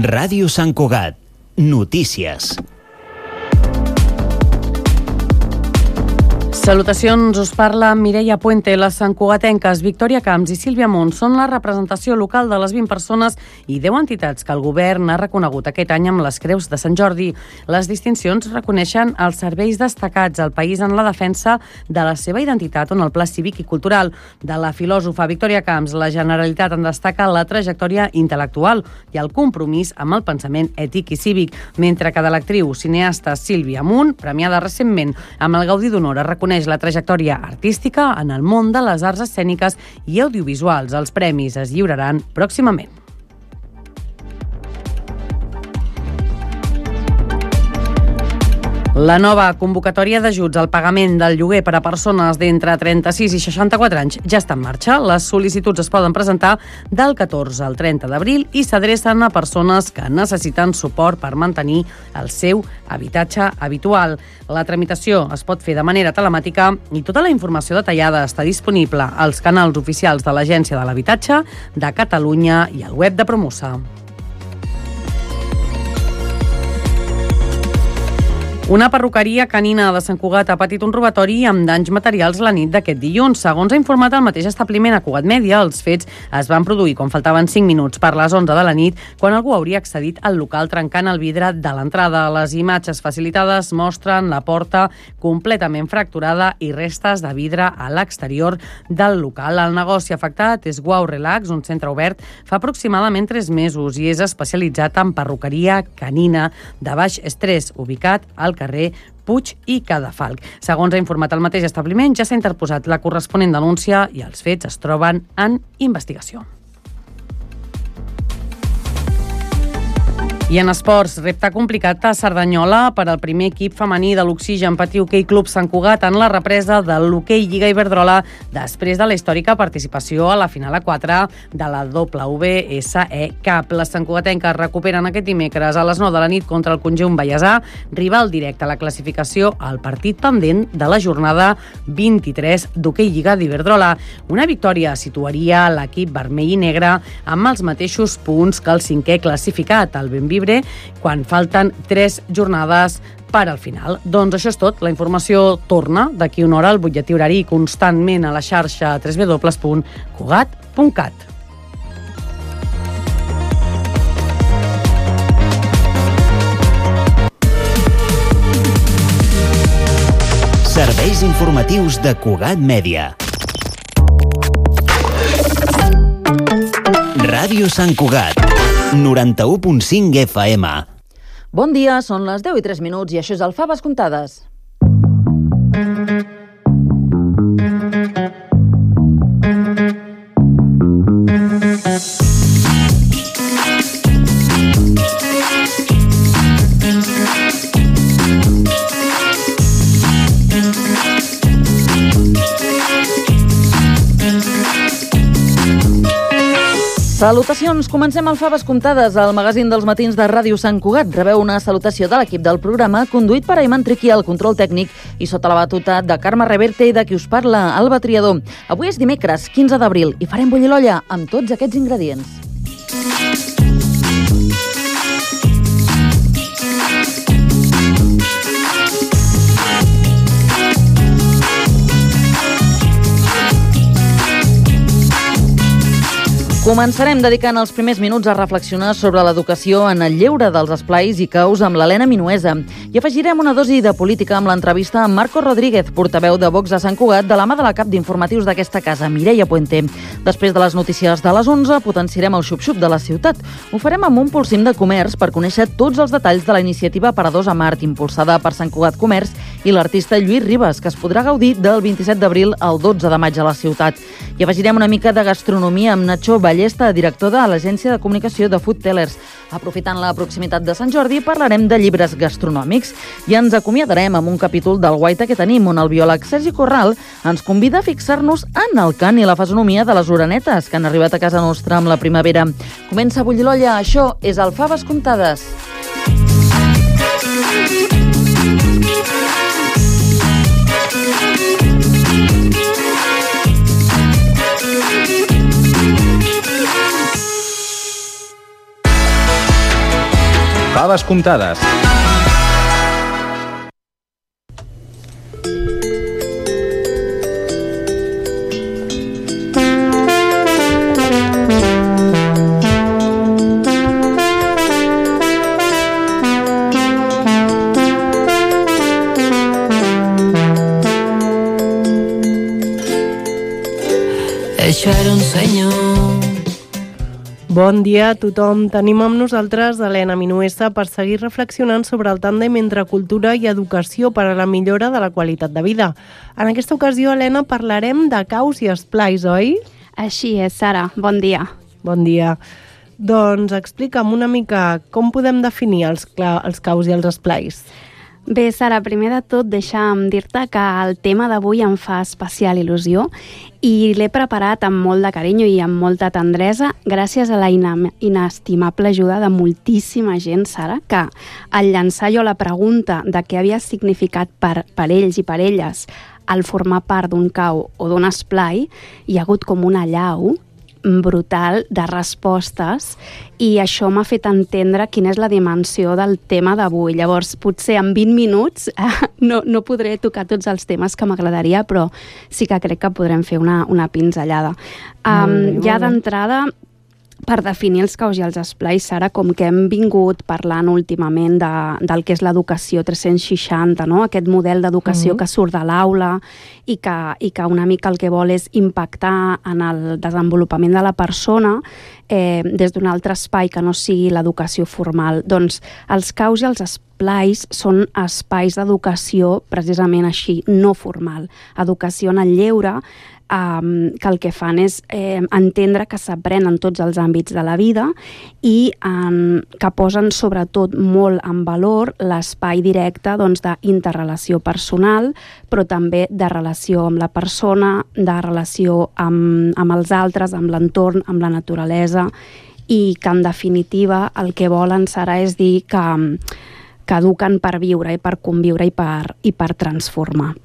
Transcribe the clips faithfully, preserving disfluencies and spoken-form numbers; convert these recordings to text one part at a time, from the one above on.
Ràdio Sant Cugat. Notícies. Salutacions, us parla Mireia Puente. Les santcugatenques Victòria Camps i Sílvia Munt són la representació local de les vint persones i deu entitats que el govern ha reconegut aquest any amb les Creus de Sant Jordi. Les distincions reconeixen els serveis destacats al país en la defensa de la seva identitat on el pla cívic i cultural. De la filòsofa Victòria Camps, la Generalitat en destaca la trajectòria intel·lectual i el compromís amb el pensament ètic i cívic, mentre que de l'actriu cineasta Sílvia Munt, premiada recentment amb el Gaudí d'Honor, reconeix la trajectòria artística en el món de les arts escèniques i audiovisuals. Els premis es lliuraran pròximament. La nova convocatòria d'ajuts al pagament del lloguer per a persones d'entre trenta-sis i seixanta-quatre anys ja està en marxa. Les sol·licituds es poden presentar del catorze al trenta d'abril i s'adrecen a persones que necessiten suport per mantenir el seu habitatge habitual. La tramitació es pot fer de manera telemàtica i tota la informació detallada està disponible als canals oficials de l'Agència de l'Habitatge de Catalunya i al web de Promusa. Una perruqueria canina de Sant Cugat ha patit un robatori amb danys materials la nit d'aquest dilluns. Segons ha informat el mateix establiment a Cugat Mèdia, els fets es van produir quan faltaven cinc minuts per les onze de la nit, quan algú hauria accedit al local trencant el vidre de l'entrada. Les imatges facilitades mostren la porta completament fracturada i restes de vidre a l'exterior del local. El negoci afectat és Wow Relax, un centre obert fa aproximadament tres mesos i és especialitzat en perruqueria canina de baix estrès, ubicat al carrer Puig i Cadafalc. Segons ha informat el mateix establiment, ja s'ha interposat la corresponent denúncia i els fets es troben en investigació. I en esports, repte complicat a Cerdanyola per al primer equip femení de l'Oxigen Patí Hoquei Club Sant Cugat en la represa de l'Hoquei Lliga Iberdrola després de la històrica participació a la final a quatre de la W S E Cup. Les santcugatenques recuperen aquest dimecres a les nou de la nit contra el conjunt baiasà, rival directe a la classificació al partit pendent de la jornada vint-i-tres d'Hoquei Lliga d'Iberdrola. Una victòria situaria l'equip vermell i negre amb els mateixos punts que el cinquè classificat, el Benvibre, quan falten tres jornades per al final. Doncs això és tot. La informació torna d'aquí una hora al butlletí horari constantment a la xarxa w w w punt cugat punt cat. Serveis informatius de Cugat Mèdia. Ràdio Sant Cugat, noranta-u punt cinc F M. Bon dia, són les deu i tres minuts i això és el Faves Comptades. Salutacions, comencem el Faves Comptades, el magazín dels matins de Ràdio Sant Cugat. Rebeu una salutació de l'equip del programa, conduït per Ayman Triqui al control tècnic i sota la batuta de Carme Reverte i de qui us parla, Alba Triador. Avui és dimecres, quinze d'abril, i farem bullir l'olla amb tots aquests ingredients. Començarem dedicant els primers minuts a reflexionar sobre l'educació en el lleure dels esplais i caus amb l'Helena Minuesa. I afegirem una dosi de política amb l'entrevista amb Marco Rodríguez, portaveu de Vox a Sant Cugat, de la mà de la cap d'informatius d'aquesta casa, Mireia Puente. Després de les notícies de les onze, potenciarem el xup-xup de la ciutat. Ho farem amb un pulsim de comerç per conèixer tots els detalls de la iniciativa Paradors a Mart, impulsada per Sant Cugat Comerç i l'artista Lluís Ribas, que es podrà gaudir del vint-i-set d'abril al dotze de maig a la ciutat. I afegirem una mica de gastronomia amb Nacho Ballesta, director de l'agència de comunicació de Food Tellers. Aprofitant la proximitat de Sant Jordi, parlarem de llibres gastronòmics i ens acomiadarem amb un capítol del Guaita que tenim, on el biòleg Sergi Corral ens convida a fixar-nos en el cant i la fesomia de les orenetes que han arribat a casa nostra amb la primavera. Comença a bullir l'olla, això és el Faves Comptades. Faves comptades. Això era un sueño. Bon dia a tothom. Tenim amb nosaltres Helena Minuesa per seguir reflexionant sobre el tàndem entre cultura i educació per a la millora de la qualitat de vida. En aquesta ocasió, Helena, parlarem de caus i esplais, oi? Així és, Sara. Bon dia. Bon dia. Doncs explica'm una mica com podem definir els, els caus i els esplais. Bé, Sara, primer de tot deixa'm dir-te que el tema d'avui em fa especial il·lusió i l'he preparat amb molt de carinyo i amb molta tendresa gràcies a la inestimable ajuda de moltíssima gent, Sara, que al llançar jo la pregunta de què havia significat per, per ells i per elles el formar part d'un cau o d'un esplai, hi ha hagut com una allau brutal de respostes i això m'ha fet entendre quina és la dimensió del tema d'avui. Llavors, potser en vint minuts eh, no, no podré tocar tots els temes que m'agradaria, però sí que crec que podrem fer una, una pinzellada. Um, ja d'entrada, per definir els caus i els esplais, Sara, com que hem vingut parlant últimament de, del que és l'educació tres-cents seixanta, no? Aquest model d'educació mm-hmm. que surt de l'aula i que, i que una mica el que vol és impactar en el desenvolupament de la persona eh, des d'un altre espai que no sigui l'educació formal. Doncs els caus i els esplais són espais d'educació precisament així, no formal. Educació en el lleure, Um, que el que fan és eh, entendre que s'aprèn en tots els àmbits de la vida i um, que posen sobretot molt en valor l'espai directe doncs, d'interrelació personal, però també de relació amb la persona, de relació amb, amb els altres, amb l'entorn, amb la naturalesa, i que en definitiva el que volen, Sara, és dir que, que eduquen per viure i per conviure i per, i per transformar.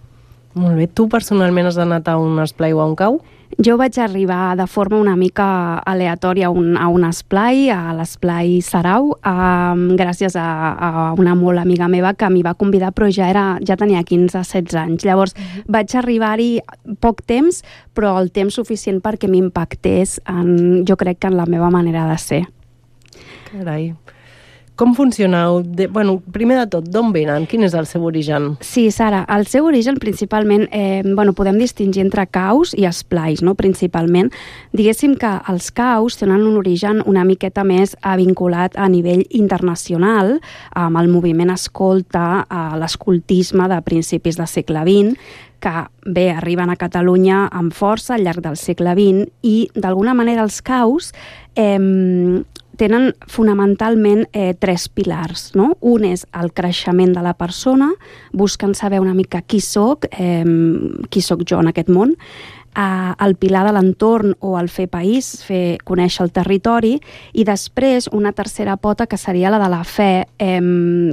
Molt bé. Tu personalment has anat a un esplai o a un cau? Jo vaig arribar de forma una mica aleatòria a un, a un esplai, a l'esplai Sarau, um, gràcies a, a una molt amiga meva que m'hi va convidar, però ja, era, ja tenia quinze setze anys. Llavors uh-huh. vaig arribar-hi poc temps, però el temps suficient perquè m'impactés, en, jo crec que en la meva manera de ser. Carai. Com funcioneu? De, bueno, primer de tot, d'on venen? Quin és el seu origen? Sí, Sara, el seu origen principalment, eh, bueno, podem distingir entre caus i esplais, no? Principalment. Diguéssim que els caus tenen un origen una miqueta més vinculat a nivell internacional, amb el moviment escolta, a l'escoltisme de principis del segle vint, que bé, arriben a Catalunya amb força al llarg del segle vint i d'alguna manera els caus eh, tenen fonamentalment eh, tres pilars, no? Un és el creixement de la persona, busquen saber una mica qui soc, eh, qui soc jo en aquest món, eh, el pilar de l'entorn o el fer país, fer conèixer el territori, i després una tercera pota que seria la de la fe, eh,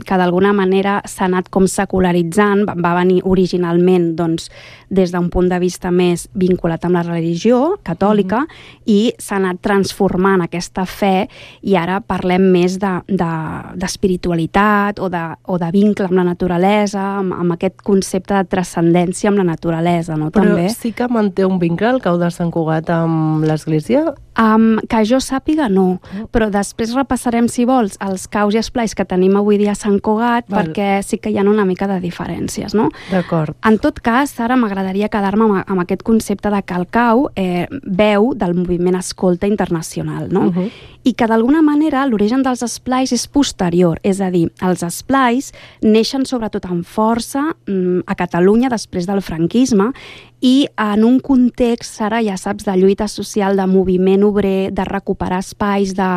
que d'alguna manera s'ha anat com secularitzant, va venir originalment doncs, des d'un punt de vista més vinculat amb la religió catòlica mm-hmm. i s'ha anat transformant aquesta fe i ara parlem més de, de, d'espiritualitat o de, o de vincle amb la naturalesa, amb, amb aquest concepte de transcendència amb la naturalesa, no? Però també. Sí que manté un vincle el cau de Sant Cugat amb l'església? Um, que jo sàpiga, no. Oh. Però després repassarem, si vols, els caus i esplais que tenim avui dia a Sant Cugat, Val. Perquè sí que hi ha una mica de diferències, no? D'acord. En tot cas, ara m'agradaria quedar-me amb, amb aquest concepte de que el cau eh, veu del moviment escolta internacional, no? Uh-huh. I que d'alguna manera l'origen dels esplais és posterior, és a dir, els esplais neixen sobretot amb força mm, a Catalunya després del franquisme i en un context, ara ja saps, de lluita social, de moviment obrer, de recuperar espais, de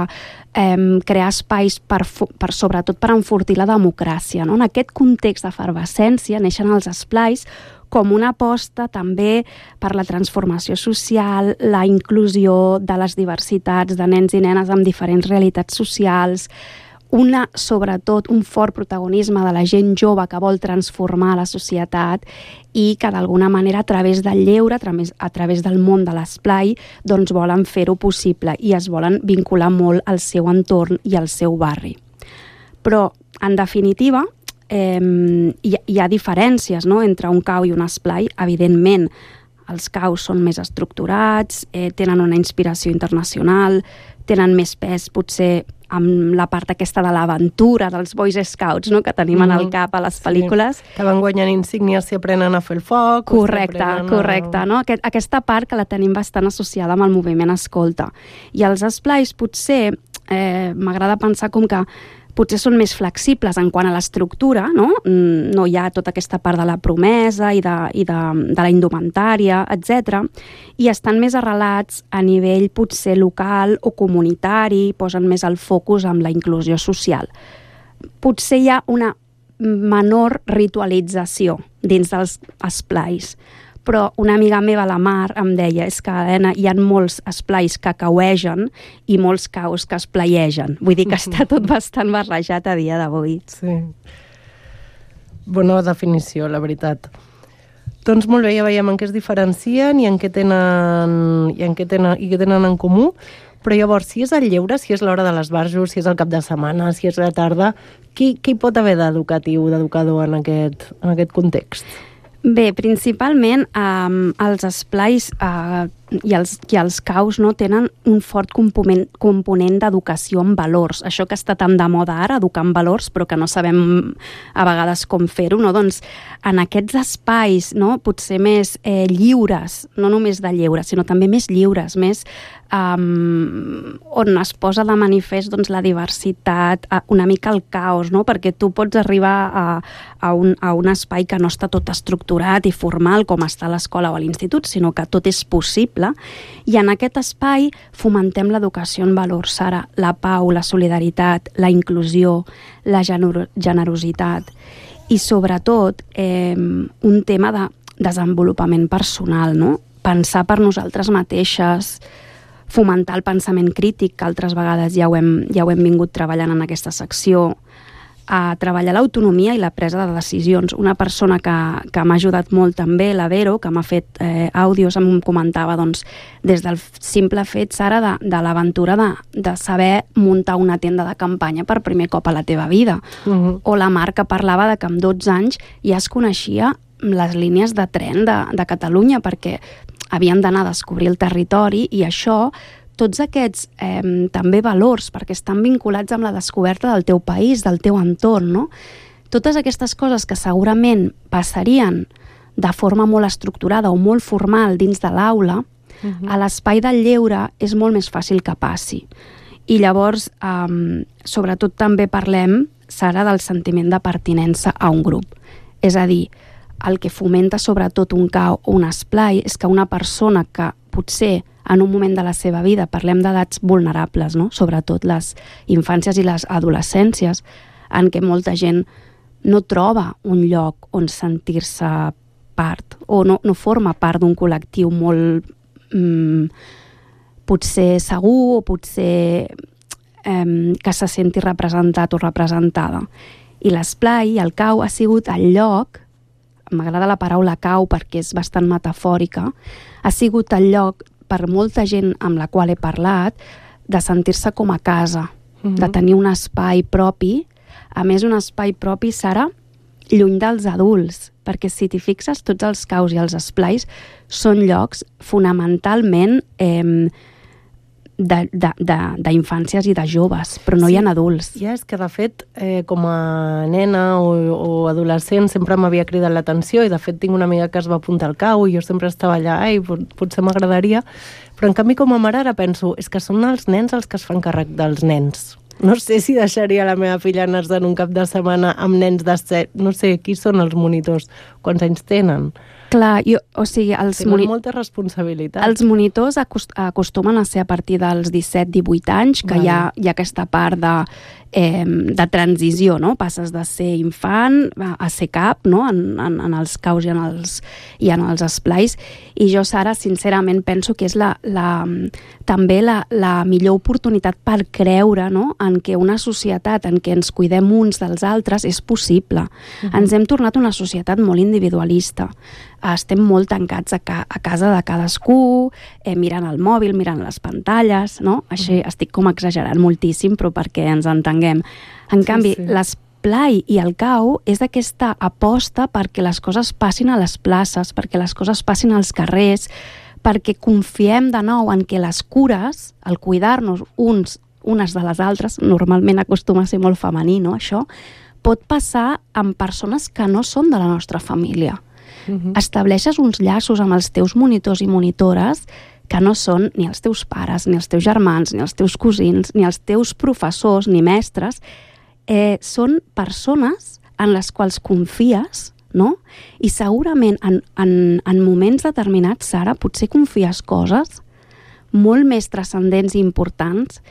eh, crear espais per, per, sobretot per enfortir la democràcia, no? En aquest context d'efervescència neixen els esplais com una aposta també per la transformació social, la inclusió de les diversitats de nens i nenes amb diferents realitats socials, una, sobretot, un fort protagonisme de la gent jove que vol transformar la societat i que d'alguna manera a través del lleure, a través, a través del món de l'esplai, doncs volen fer-ho possible i es volen vincular molt al seu entorn i al seu barri. Però, en definitiva, eh, hi, hi ha diferències, no?, entre un cau i un esplai. Evidentment, els caus són més estructurats, eh, tenen una inspiració internacional, tenen més pes, potser, amb la part aquesta de l'aventura dels Boys Scouts, no?, que tenim mm-hmm. en el cap a les pel·lícules. Sí, que van guanyant insígnies si aprenen a fer el foc. Correcte, a... correcte. No? Aquest, aquesta part que la tenim bastant associada amb el moviment escolta. I els esplais potser, eh, m'agrada pensar com que potser són més flexibles en quant a l'estructura, no? No hi ha tota aquesta part de la promesa i de, i de, de la indumentària, etcètera, i estan més arrelats a nivell potser local o comunitari, posen més el focus en la inclusió social. Potser hi ha una menor ritualització dins dels esplais, però una amiga meva, la Mar, em deia és que, Helena, hi ha molts esplais que cauegen i molts caus que espleiegen. Vull dir que està tot bastant barrejat a dia d'avui. Sí. Bona definició, la veritat. Doncs molt bé, ja veiem en què es diferencien i en què tenen, i en què tenen, i què tenen en comú. Però llavors, si és el lleure, si és l'hora de l'esbarjo, si és el cap de setmana, si és la tarda, què, què hi pot haver d'educatiu, d'educador en aquest, en aquest context? Bé, principalment eh, els esplais eh, i, els, i els caus no, tenen un fort component, component d'educació en valors. Això que està tan de moda ara, educar en valors, però que no sabem a vegades com fer-ho, no? Doncs en aquests espais, no, potser més eh, lliures, no només de lleure, sinó també més lliures, més Um, on es posa de manifest doncs, la diversitat, una mica el caos, no? Perquè tu pots arribar a, a, un, a un espai que no està tot estructurat i formal com està a l'escola o a l'institut, sinó que tot és possible, i en aquest espai fomentem l'educació en valors, Sara, la pau, la solidaritat, la inclusió, la gener generositat i sobretot eh, un tema de desenvolupament personal, no? Pensar per nosaltres mateixes, fomentar el pensament crític, que altres vegades ja ho hem, ja ho hem vingut treballant en aquesta secció, a treballar l'autonomia i la presa de decisions. Una persona que, que m'ha ajudat molt també, la Vero, que m'ha fet eh, àudios, em comentava doncs, des del simple fet, Sara, de, de l'aventura de, de saber muntar una tenda de campanya per primer cop a la teva vida. Uh-huh. O la Mar, que parlava de que amb dotze anys ja es coneixia les línies de tren de, de Catalunya, perquè havien d'anar a descobrir el territori, i això, tots aquests eh, també valors, perquè estan vinculats amb la descoberta del teu país, del teu entorn, no? Totes aquestes coses que segurament passarien de forma molt estructurada o molt formal dins de l'aula, uh-huh. a l'espai del lleure és molt més fàcil que passi. I llavors, eh, sobretot també parlem, Sara, del sentiment de pertinença a un grup. És a dir, el que fomenta sobretot un cau o un esplai és que una persona que potser en un moment de la seva vida, parlem d'edats vulnerables, no? Sobretot les infàncies i les adolescències, en què molta gent no troba un lloc on sentir-se part, o no, no forma part d'un col·lectiu molt mm, potser segur, o potser eh, que se senti representat o representada. I l'esplai, el cau, ha sigut el lloc, m'agrada la paraula cau perquè és bastant metafòrica, ha sigut el lloc per molta gent amb la qual he parlat de sentir-se com a casa, uh-huh. de tenir un espai propi, a més un espai propi, Sara, lluny dels adults, perquè si t'hi fixes, tots els caus i els esplais són llocs fonamentalment eh, d'infàncies i de joves, però no sí, hi ha adults. Ja, és que de fet, eh, com a nena o, o adolescent sempre m'havia cridat l'atenció, i de fet tinc una amiga que es va apuntar al cau i jo sempre estava allà, ai, potser m'agradaria, però en canvi com a mare ara penso, és que són els nens els que es fan càrrec dels nens. No sé si deixaria la meva filla anar-se'n un cap de setmana amb nens de set, no sé, qui són els monitors, quants anys tenen? Clar, jo, o sigui, els tenen moni... molta responsabilitat. Els monitors acost acostumen a ser a partir dels disset divuit anys, que vale. hi, ha, hi ha aquesta part de, eh, de transició, no? Passes de ser infant a, a ser cap, no? En, en, en els caus i en els, i en els esplais. I jo, Sara, sincerament penso que és la, la, també la, la millor oportunitat per creure, no? En què una societat en què ens cuidem uns dels altres és possible. Uh-huh. Ens hem tornat una societat molt individualista. estem molt tancats a, ca a casa de cadascú, eh, mirant el mòbil, mirant les pantalles, no? Així estic com exagerant moltíssim, però perquè ens entenguem. En sí, canvi, sí. l'esplai i el cau és aquesta aposta perquè les coses passin a les places, perquè les coses passin als carrers, perquè confiem de nou en que les cures, el cuidar-nos uns unes de les altres, normalment acostuma a ser molt femení, no, això, pot passar amb persones que no són de la nostra família. Uh-huh. Estableixes uns llaços amb els teus monitors i monitores que no són ni els teus pares, ni els teus germans, ni els teus cosins, ni els teus professors, ni mestres. Eh, són persones en les quals confies, no? I segurament en, en, en moments determinats, Sara, potser confies coses molt més transcendents i importants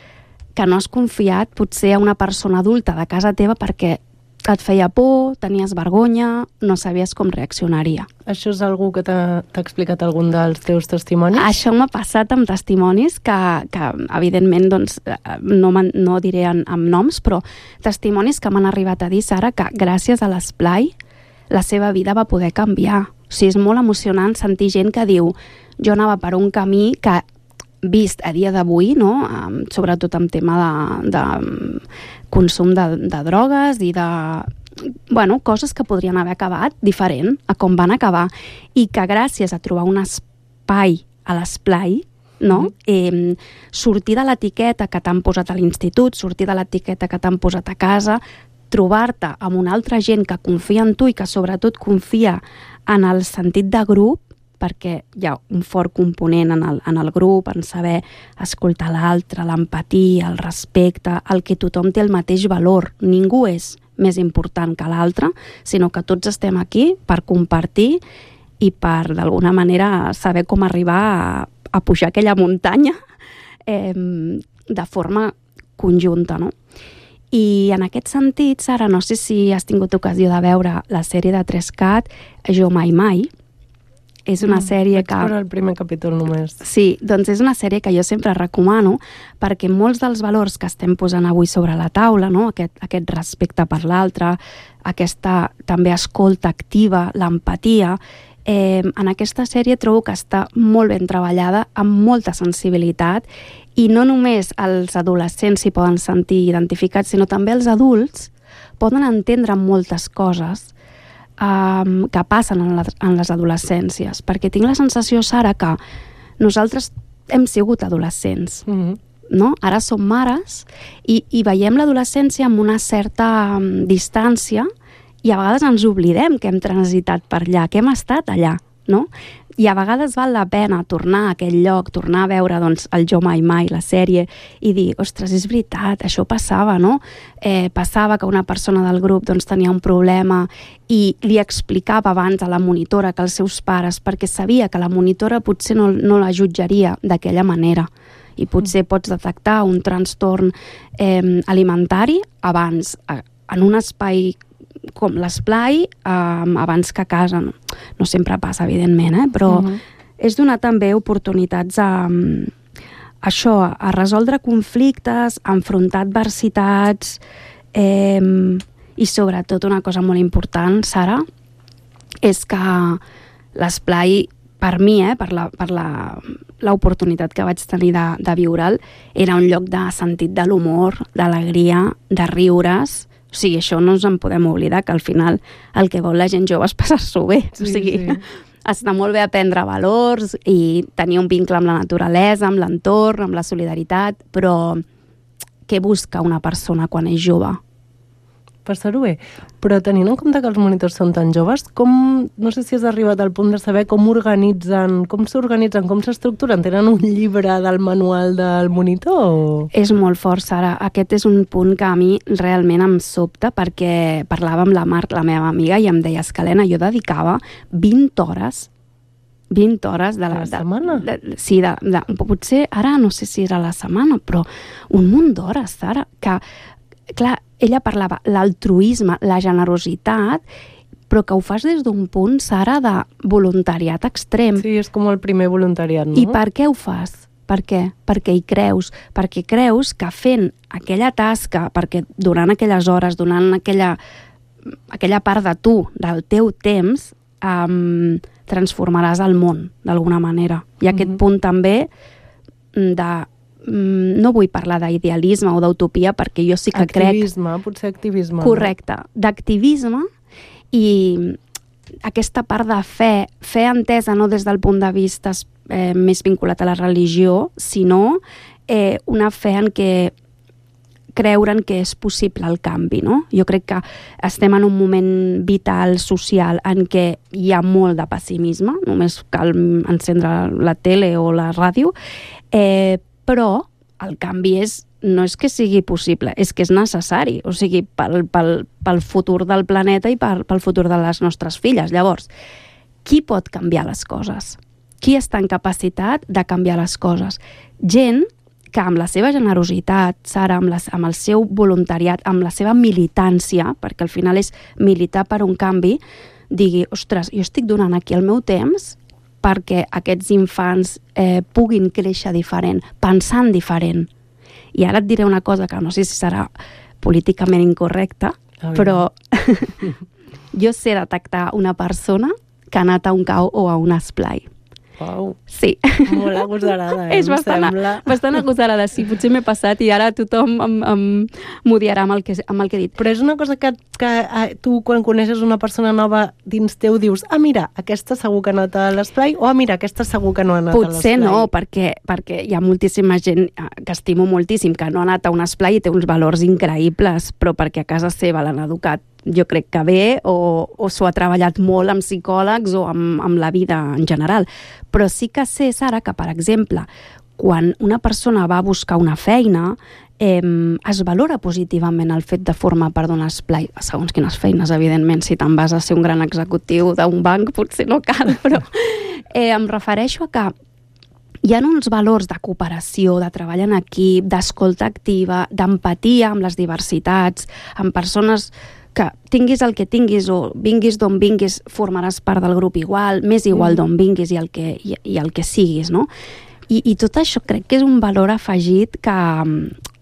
que no has confiat potser a una persona adulta de casa teva perquè et feia por, tenies vergonya, no sabies com reaccionaria. Això és algú que t'ha explicat algun dels teus testimonis? Això m'ha passat amb testimonis que, que evidentment, doncs, no, no diré en, amb noms, però testimonis que m'han arribat a dir, Sara, que gràcies a l'esplai la seva vida va poder canviar. O sigui, és molt emocionant sentir gent que diu jo anava per un camí que vist a dia d'avui, no? Um, sobretot en tema de, de um, consum de, de drogues i de bueno, coses que podrien haver acabat diferent a com van acabar, i que gràcies a trobar un espai a l'esplai, no? Mm-hmm. eh, sortir de l'etiqueta que t'han posat a l'institut, sortir de l'etiqueta que t'han posat a casa, trobar-te amb una altra gent que confia en tu i que sobretot confia en el sentit de grup, perquè hi ha un fort component en el, en el grup, en saber escoltar l'altre, l'empatia, el respecte, el que tothom té el mateix valor. Ningú és més important que l'altre, sinó que tots estem aquí per compartir i per, d'alguna manera, saber com arribar a, a pujar aquella muntanya eh, de forma conjunta, no? I en aquest sentit, Sara, no sé si has tingut ocasió de veure la sèrie de tres cat, Jo mai mai. És una sèrie que... Vaig veure el primer capítol només. Sí, doncs és una sèrie que jo sempre recomano perquè molts dels valors que estem posant avui sobre la taula, no? aquest, aquest respecte per l'altre, aquesta també escolta activa, l'empatia, eh, en aquesta sèrie trobo que està molt ben treballada, amb molta sensibilitat, i no només els adolescents s'hi poden sentir identificats, sinó també els adults poden entendre moltes coses Um, que passen en, la, en les adolescències, perquè tinc la sensació, Sara, que nosaltres hem sigut adolescents, mm-hmm. no? Ara som mares i, i veiem l'adolescència amb una certa um, distància, i a vegades ens oblidem que hem transitat per allà, que hem estat allà, no? I a vegades val la pena tornar a aquell lloc, tornar a veure doncs, el Jo mai mai, la sèrie, i dir, ostres, és veritat, això passava, no? Eh, passava que una persona del grup doncs, tenia un problema i li explicava abans a la monitora que els seus pares, perquè sabia que la monitora potser no, no la jutjaria d'aquella manera, i potser pots detectar un trastorn eh, alimentari abans, en un espai com l'esplai, um, abans que a casa. No, no sempre passa, evidentment, eh? Però uh-huh. és donar també oportunitats a, a això, a resoldre conflictes, a enfrontar adversitats, eh, i sobretot una cosa molt important, Sara, és que l'esplai, per mi, eh, per la, per la, l'oportunitat que vaig tenir de, de viure'l, era un lloc de sentit de l'humor, d'alegria, de riures. O sigui, això no ens en podem oblidar, que al final el que vol la gent jove és passar-s'ho bé. Sí, o sigui, sí. Està molt bé aprendre valors i tenir un vincle amb la naturalesa, amb l'entorn, amb la solidaritat, però què busca una persona quan és jove? Passar-ho bé. Però tenint en compte que els monitors són tan joves, com, no sé si has arribat al punt de saber com organitzen, com s'organitzen, com s'estructuren? Tenen un llibre del manual del monitor? O... És molt fort, Sara. Aquest és un punt que a mi realment em sobta, perquè parlava amb la Marc, la meva amiga, i em deia, Escalena, jo dedicava vint hores vint hores de la, la setmana? De, de, sí, de, de, potser ara no sé si era la setmana, però un munt d'hores, Sara, que, clar, ella parlava l'altruisme, la generositat, però que ho fas des d'un punt, Sara, de voluntariat extrem. Sí, és com el primer voluntariat, no? I per què ho fas? Per què? Perquè hi creus. Perquè creus que fent aquella tasca, perquè durant aquelles hores, donant aquella, aquella part de tu, del teu temps, um, transformaràs el món, d'alguna manera. I aquest Mhm. punt també de... mm, No vull parlar d'idealisme o d'utopia, perquè jo sí que crec... Activisme, potser activisme. Correcte, d'activisme i aquesta part de fe, fe entesa no des del punt de vista eh, més vinculat a la religió, sinó eh, una fe en què creure'n que és possible el canvi, no? Jo crec que estem en un moment vital, social, en què hi ha molt de pessimisme, només cal encendre la tele o la ràdio, eh, però el canvi és, no és que sigui possible, és que és necessari, o sigui, pel, pel, pel futur del planeta i pel, pel futur de les nostres filles. Llavors, qui pot canviar les coses? Qui està en capacitat de canviar les coses? Gent que amb la seva generositat, Sara, amb, les, amb el seu voluntariat, amb la seva militància, perquè al final és militar per un canvi, digui, ostres, jo estic donant aquí el meu temps perquè aquests infants eh, puguin créixer diferent, pensant diferent. I ara et diré una cosa que no sé si serà políticament incorrecta, però jo sé detectar una persona que ha anat a un cau o a un esplai. Uau. Sí. Molt agosarada, eh? És bastant, sembla. bastant agosarada, sí. Potser m'he passat i ara tothom em, em m'odiarà amb, el que, amb el que he dit. Però és una cosa que, que eh, tu, quan coneixes una persona nova dins teu, dius, ah, mira, aquesta segur que ha anat a l'esplai, o ah, mira, aquesta segur que no ha anat Potser a l'esplai. no, perquè, perquè hi ha moltíssima gent que estimo moltíssim, que no ha anat a un esplai i té uns valors increïbles, però perquè a casa seva l'han educat jo crec que bé, o, o s'ho ha treballat molt amb psicòlegs o amb, amb la vida en general. Però sí que sé, Sara, que, per exemple, quan una persona va a buscar una feina, eh, es valora positivament el fet de formar part d'un esplai, segons quines feines, evidentment. Si te'n vas a ser un gran executiu d'un banc, potser no cal, però eh, em refereixo a que hi ha uns valors de cooperació, de treball en equip, d'escolta activa, d'empatia amb les diversitats, amb persones que tinguis el que tinguis o vinguis d'on vinguis, formaràs part del grup igual, més igual d'on vinguis i el que, i, i el que siguis, no? I, I tot això crec que és un valor afegit que,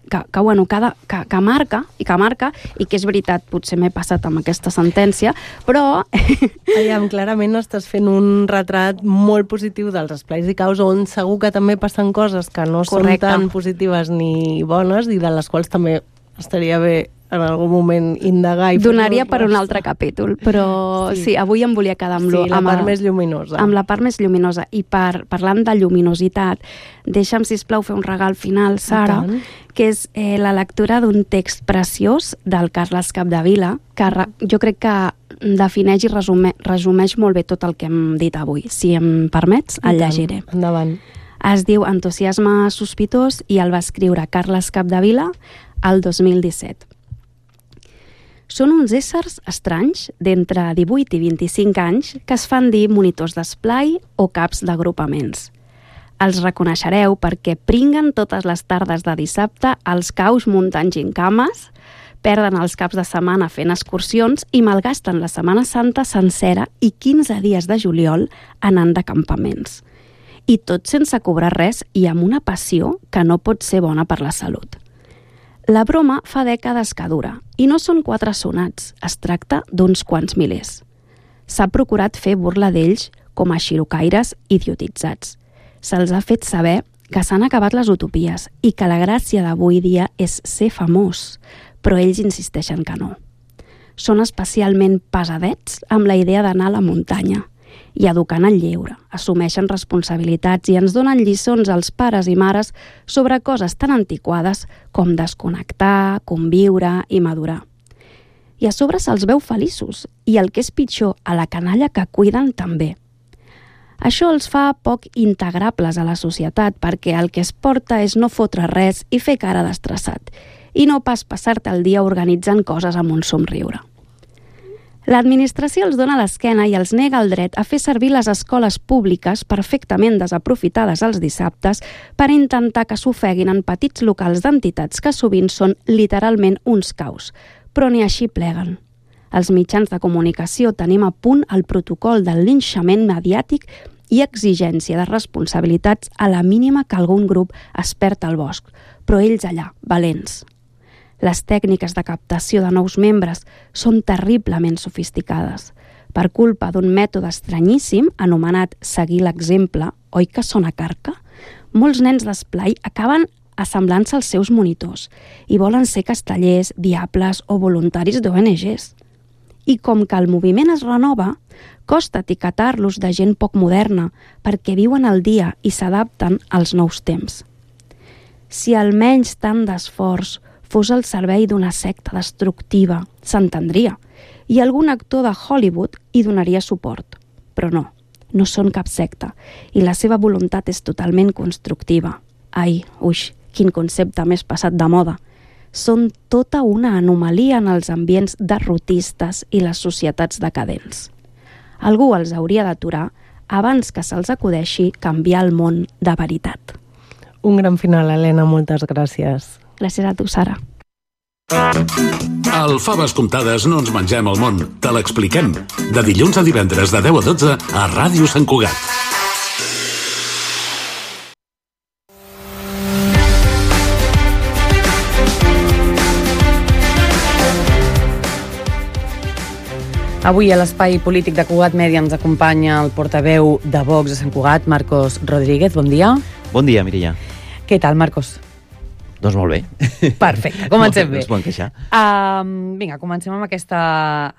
que, que, bueno, que, de, que, que marca, i que marca, i que és veritat, potser m'he passat amb aquesta sentència, però... Aviam, clarament estàs fent un retrat molt positiu dels esplais i caus on segur que també passen coses que no Correcte. són tan positives ni bones i de les quals també estaria bé en algun moment indagar i Donaria fer-nos per un mostra. altre capítol, però sí, Sí. sí avui em volia quedar amb, Sí, lo, la amb, part el- més lluminosa. amb la part més lluminosa. I per, parlant de lluminositat, deixa'm, sisplau, fer un regal final, Sara, tant. que és eh, la lectura d'un text preciós del Carles Capdevila, que re, jo crec que defineix i resume, resumeix molt bé tot el que hem dit avui. Si em permets, el I tant. llegiré. Endavant. Es diu Entusiasme sospitós i el va escriure Carles Capdevila el dos mil disset. Són uns éssers estranys d'entre divuit i vint-i-cinc anys que es fan dir monitors d'esplai o caps d'agrupaments. Els reconeixereu perquè pringuen totes les tardes de dissabte als caus muntant gincames, perden els caps de setmana fent excursions i malgasten la Setmana Santa sencera i quinze dies de juliol anant de campaments. I tot sense cobrar res i amb una passió que no pot ser bona per la salut. La broma fa dècades que dura, i no són quatre sonats, es tracta d'uns quants milers. S'ha procurat fer burla d'ells com a xirocaires idiotitzats. Se'ls ha fet saber que s'han acabat les utopies i que la gràcia d'avui dia és ser famós, però ells insisteixen que no. Són especialment pesadets amb la idea d'anar a la muntanya, i educant el lleure, assumeixen responsabilitats i ens donen lliçons als pares i mares sobre coses tan antiquades com desconnectar, conviure i madurar. I a sobre se'ls veu feliços i, el que és pitjor, a la canalla que cuiden també. Això els fa poc integrables a la societat perquè el que es porta és no fotre res i fer cara d'estressat i no pas passar-te el dia organitzant coses amb un somriure. L'administració els dona l'esquena i els nega el dret a fer servir les escoles públiques perfectament desaprofitades els dissabtes per intentar que s'ofeguin en petits locals d'entitats que sovint són literalment uns caus, però ni així pleguen. Els mitjans de comunicació tenim a punt el protocol del linxament mediàtic i exigència de responsabilitats a la mínima que algun grup es perd al bosc, però ells allà, valents. Les tècniques de captació de nous membres són terriblement sofisticades, per culpa d'un mètode estranyíssim anomenat seguir l'exemple, oi que sona carca? Molts nens d'esplai acaben assemblant-se als seus monitors i volen ser castellers, diables o voluntaris d'O N Ges. I com que el moviment es renova, costa etiquetar-los de gent poc moderna perquè viuen al dia i s'adapten als nous temps. Si almenys tant d'esforç fos al servei d'una secta destructiva, s'entendria, i algun actor de Hollywood hi donaria suport. Però no, no són cap secta, i la seva voluntat és totalment constructiva. Ai, uix, quin concepte més passat de moda. Són tota una anomalia en els ambients derrotistes i les societats decadents. Algú els hauria d'aturar abans que se'ls acudeixi canviar el món de veritat. Un gran final, Helena, moltes gràcies. Gràcies a tu, Sara. Al Faves Comptades no ens mengem el món, te l'expliquem. De dilluns a divendres de deu a dotze a Ràdio Sant Cugat. Avui a l'Espai Polític de Cugat Mèdia ens acompanya el portaveu de Vox a Sant Cugat, Marcos Rodríguez. Bon dia. Bon dia, Mireia. Què tal, Marcos? Doncs molt bé. Perfecte, comencem bé. No es poden queixar. Um, vinga, comencem amb aquesta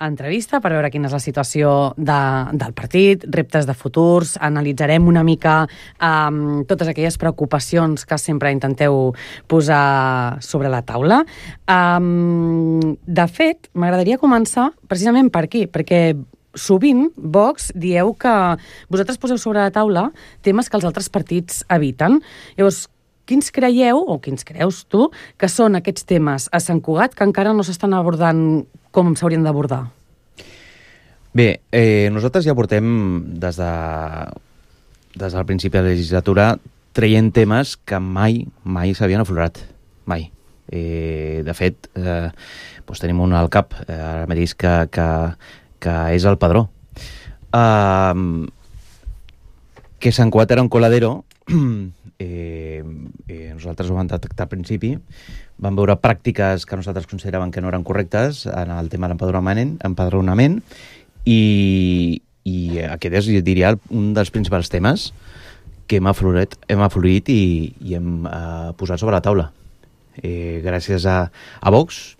entrevista per veure quina és la situació de, del partit, reptes de futurs, analitzarem una mica um, totes aquelles preocupacions que sempre intenteu posar sobre la taula. Um, de fet, m'agradaria començar precisament per aquí, perquè sovint, Vox, dieu que vosaltres poseu sobre la taula temes que els altres partits eviten. Llavors, quins creieu, o quins creus tu, que són aquests temes a Sant Cugat que encara no s'estan abordant com s'haurien d'abordar? Bé, eh, nosaltres ja portem des, de, des del principi de la legislatura traient temes que mai, mai s'havien aflorat. Mai. Eh, de fet, eh, doncs tenim un al cap, eh, ara mateix, que, que, que és el padró. Uh, que Sant Cugat era un coladero. Eh, eh, nosaltres ho vam detectar al principi, vam veure pràctiques que nosaltres consideràvem que no eren correctes en el tema de l'empadronament, empadronament i, i aquest és, jo diria, un dels principals temes que hem aflorit, hem aflorit i, i hem eh, posat sobre la taula. Eh, gràcies a, a Vox,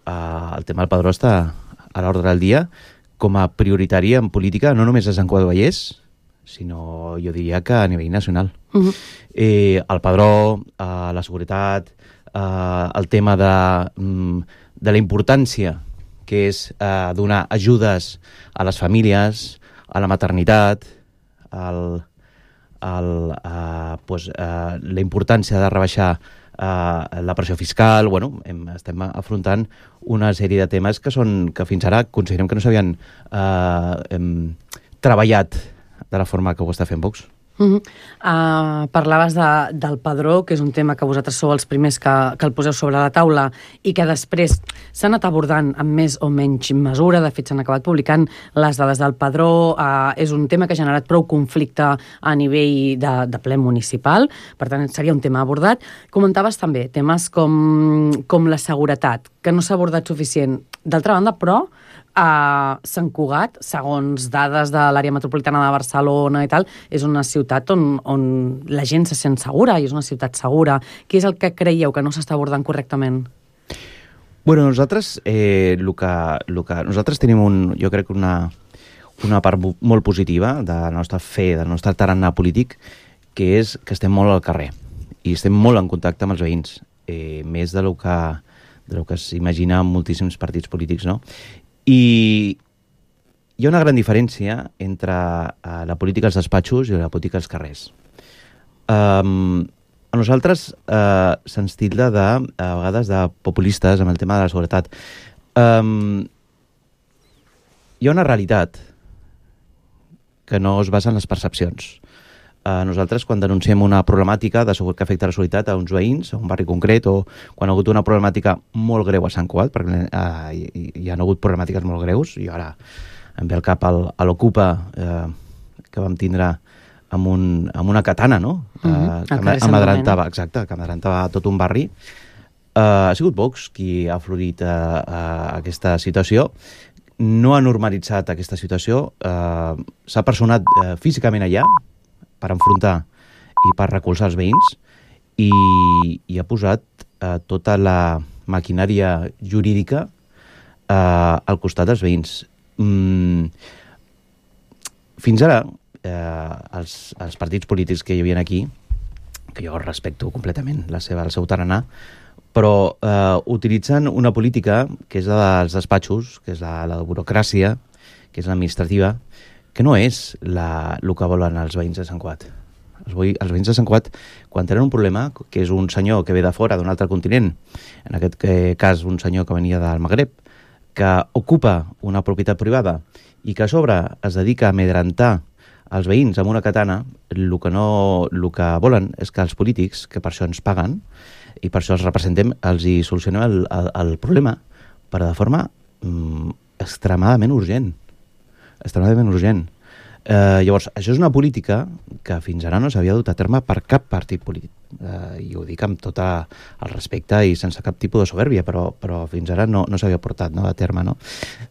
eh, el tema del padró està a l'ordre del dia com a prioritari en política, no només a Sant Cugat del Vallès, sinó jo diria que a nivell nacional. Uh-huh. eh, el padró, eh, la seguretat, eh, el tema de, de la importància que és eh, donar ajudes a les famílies, a la maternitat, el, el, eh, pues, eh, la importància de rebaixar eh, la pressió fiscal. Bueno, hem, estem afrontant una sèrie de temes que, són, que fins ara considerem que no s'havien eh, hem, treballat de la forma que ho està fent Vox. Uh-huh. Uh, parlaves de, del padró, que és un tema que vosaltres sou els primers que, que el poseu sobre la taula i que després s'ha anat abordant amb més o menys mesura. De fet, s'han acabat publicant les dades del padró. Uh, és un tema que ha generat prou conflicte a nivell de, de ple municipal. Per tant, seria un tema abordat. Comentaves també temes com, com la seguretat, que no s'ha abordat suficient. D'altra banda, però, a Sant Cugat, segons dades de l'àrea metropolitana de Barcelona i tal, és una ciutat on, on la gent se sent segura i és una ciutat segura. Què és el que creieu que no s'està abordant correctament? Bueno, nosaltres, eh, lo que, lo que, nosaltres tenim, un, jo crec, una, una part molt positiva de la nostra fe, del nostre tarannà polític, que és que estem molt al carrer i estem molt en contacte amb els veïns, eh, més de lo que, de lo que s'imagina moltíssims partits polítics, no? I hi ha una gran diferència entre uh, la política als despatxos i la política als carrers. Um, a nosaltres uh, se'ns tilda de, a vegades de populistes amb el tema de la seguretat. Um, hi ha una realitat que no es basa en les percepcions. Uh, nosaltres, quan denunciem una problemàtica de segur que afecta la seguretat a uns veïns, a un barri concret, o quan ha hagut una problemàtica molt greu a Sant Cugat, perquè uh, hi, hi ha hagut problemàtiques molt greus, i ara em ve al cap el, a l'Ocupa, uh, que vam tindre amb, un, amb una katana, no? Uh, uh-huh. que amadrantava, exacte, que amadrantava tot un barri. Uh, ha sigut Vox qui ha florit uh, uh, aquesta situació. no ha normalitzat aquesta situació, eh, s'ha personat eh, físicament allà per enfrontar i per recolzar els veïns i, i ha posat eh, tota la maquinària jurídica eh, al costat dels veïns. Mm, fins ara, eh, els, els partits polítics que hi havia aquí, que jo respecto completament la seva, el seu tarannà, però eh, utilitzen una política que és la dels despatxos, que és la, la burocràcia, que és l'administrativa, que no és la, el que volen els veïns de Sant Cugat. Els, els veïns de Sant Cugat, quan tenen un problema, que és un senyor que ve de fora, d'un altre continent, en aquest cas un senyor que venia del Magreb, que ocupa una propietat privada i que a sobre es dedica a amedrentar els veïns amb una katana, el que, no, el que volen és que els polítics, que per això ens paguen, i per això els representem, els hi solucionem el, el, el problema, però de forma mm, extremadament urgent. Extremadament urgent. Eh, llavors, això és una política que fins ara no s'havia dut a terme per cap partit polític. Eh, I ho dic amb tot el respecte i sense cap tipus de soberbia, però, però fins ara no, no s'havia portat, no, a terme. No?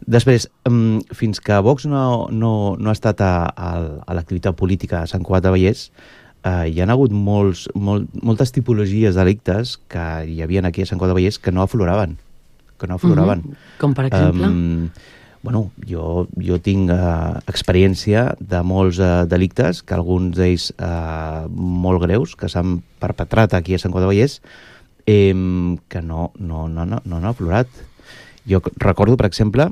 Després, mm, fins que Vox no, no, no ha estat a, a, a l'activitat política a Sant Cugat del Vallès, Uh, hi ha hagut molts, molt, moltes tipologies de delictes que hi havia aquí a Sant Cugat del Vallès que no afloraven. Que no afloraven. Mm-hmm. Com per exemple? Um, bueno, jo, jo tinc uh, experiència de molts uh, delictes, que alguns d'ells uh, molt greus, que s'han perpetrat aquí a Sant Cugat del Vallès, eh, que no, no, no, no, no han aflorat. Jo recordo, per exemple,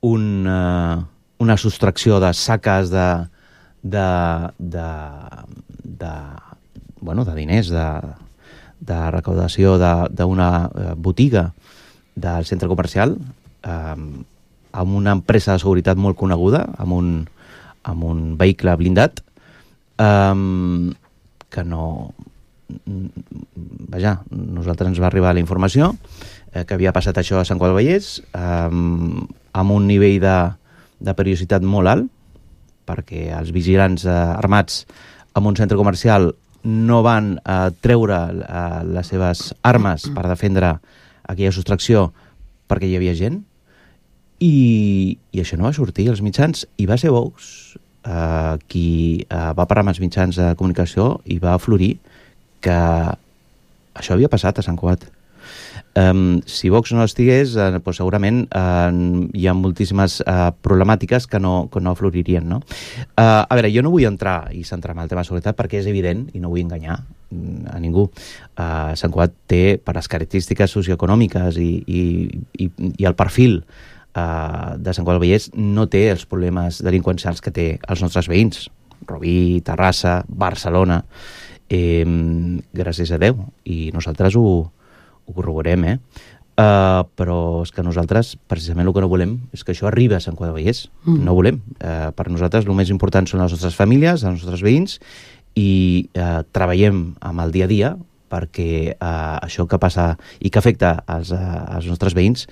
un, uh, una sostracció de saques de de, de, de, bueno, de diners, de, de recaudació d'una botiga del centre comercial eh, amb una empresa de seguretat molt coneguda, amb un, amb un vehicle blindat, eh, que no... Vaja, nosaltres ens va arribar la informació eh, que havia passat això a Sant Cugat del Vallès eh, amb un nivell de, de periodicitat molt alt, perquè els vigilants eh, armats en un centre comercial no van eh, treure eh, les seves armes per defendre aquella sostracció perquè hi havia gent, i, i això no va sortir als mitjans, i va ser Vox eh, qui eh, va parlar amb els mitjans de comunicació i va aflorir que això havia passat a Sant Cugat. Um, si Vox no estigués, eh, pues segurament eh, hi ha moltíssimes eh, problemàtiques que no, que no afloririen, no? Uh, a veure, jo no vull entrar i centrar-me en el tema de seguretat perquè és evident i no vull enganyar a ningú. Uh, Sant Cugat té, per les característiques socioeconòmiques i, i, i, i el perfil uh, de Sant Cugat del Vallès, no té els problemes delinqüencials que té els nostres veïns. Rubí, Terrassa, Barcelona, eh, gràcies a Déu, i nosaltres ho ho corroborem, eh? Uh, però és que nosaltres, precisament el que no volem és que això arribi a Sant Cugat del Vallès. Mm. No volem. Uh, per nosaltres el més important són les nostres famílies, els nostres veïns, i uh, treballem amb el dia a dia perquè uh, això que passa i que afecta als, uh, als nostres veïns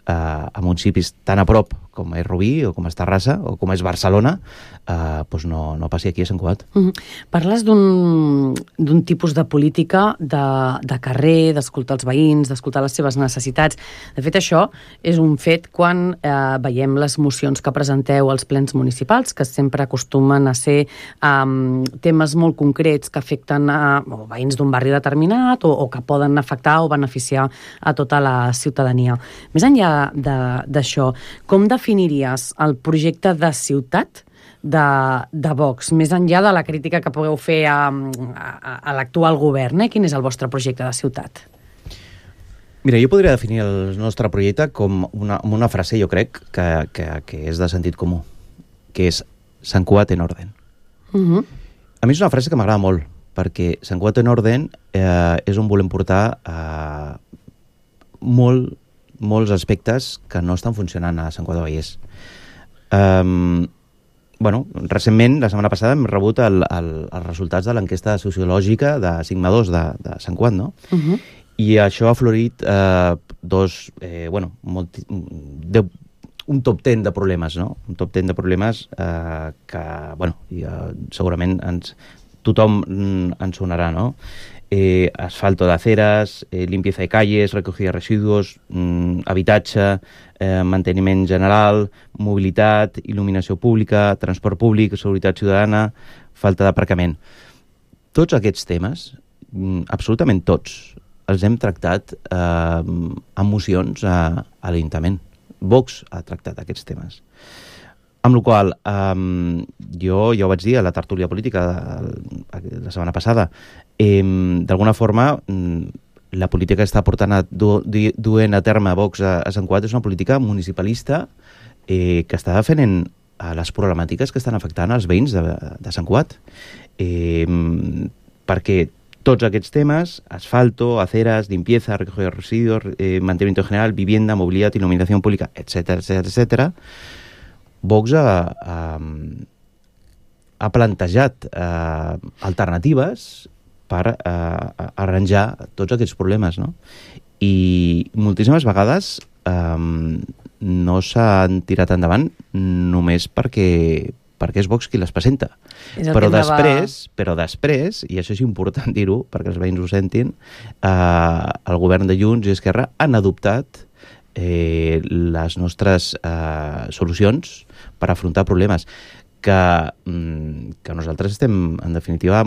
uh, a municipis tan a prop com és Rubí o com és Terrassa o com és Barcelona, uh, doncs no, no passi aquí a Sant Cugat. Mm-hmm. Parles d'un tipus de política de, de carrer, d'escoltar els veïns, d'escoltar les seves necessitats. De fet, això és un fet quan eh, veiem les mocions que presenteu als plens municipals, que sempre acostumen a ser um, temes molt concrets que afecten a o veïns d'un barri determinat o, o que poden afectar o beneficiar a tota la ciutadania. Més enllà d'això, com definiries el projecte de ciutat de, de Vox, més enllà de la crítica que pugueu fer a, a, a l'actual govern? Eh? Quin és el vostre projecte de ciutat? Mira, jo podria definir el nostre projecte com una, amb una frase, jo crec, que, que, que és de sentit comú, que és Sant Cugat en orden. Uh-huh. A mi és una frase que m'agrada molt, perquè Sant Cugat en orden eh, és on volem portar eh, molt, molts aspectes que no estan funcionant a Sant Cugat del Vallès. Um, bueno, recentment, la setmana passada, hem rebut el, el, els resultats de l'enquesta sociològica de Sigma dos de, de Sant Cugat, no? Uh-huh. I això ha florit eh, dos, eh, bueno, molt, de, un top ten de problemes, no? Un top ten de problemes eh, que, bueno, ja, segurament ens, tothom ens sonarà, no? eh, asfalto de aceras, eh, limpieza de calles, recogida de residuos, mm, habitatge, eh, manteniment general, mobilitat, il·luminació pública, transport públic, seguretat ciutadana, falta d'aparcament. Tots aquests temes, mm, absolutament tots, els hem tractat eh, amb mocions a, a l'Ajuntament. Vox ha tractat aquests temes. Amb la qual cosa, um, jo ja ho vaig dir a la tertúlia política de, la setmana passada, eh, d'alguna forma la política que està portant a du, du, duent a terme Vox a, a Sant Cugat és una política municipalista eh, que està defendent a les problemàtiques que estan afectant als veïns de, de Sant Cugat. Eh, perquè tots aquests temes, asfalto, aceras, limpieza, recogida de residuos, eh, mantenimiento general, vivienda, movilidad, iluminación pública, etcétera, etcétera, etcétera, Vox ha, ha, ha plantejat eh, alternatives per eh, arranjar tots aquests problemes, no? I moltíssimes vegades eh, no s'han tirat endavant només perquè, perquè és Vox qui les presenta. Però després, però després, i això és important dir-ho perquè els veïns ho sentin, eh, el govern de Junts i Esquerra han adoptat eh, les nostres eh, solucions per afrontar problemes que, que nosaltres estem, en definitiva,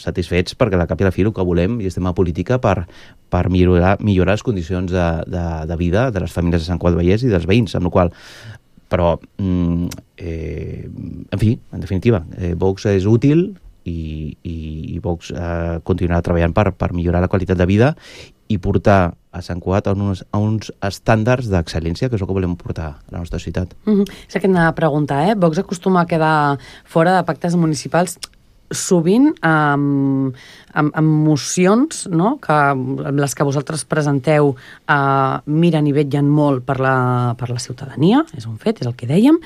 satisfets perquè a la cap i a la fi el que volem i estem a política per, per millorar, millorar les condicions de, de, de vida de les famílies de Sant Cugat del Vallès i dels veïns, amb la qual però, eh, en fi, en definitiva, eh, Vox és útil i, i, i Vox eh, continuarà treballant per, per millorar la qualitat de vida i portar a Sant Cugat a uns, a uns estàndards d'excel·lència, que és el que volem portar a la nostra ciutat. Mm-hmm. És el que anava a preguntar, eh? Vox acostuma a quedar fora de pactes municipals sovint amb, amb, amb mocions, no? Que, les que vosaltres presenteu eh, miren i vetllen molt per la, per la ciutadania, és un fet, és el que dèiem,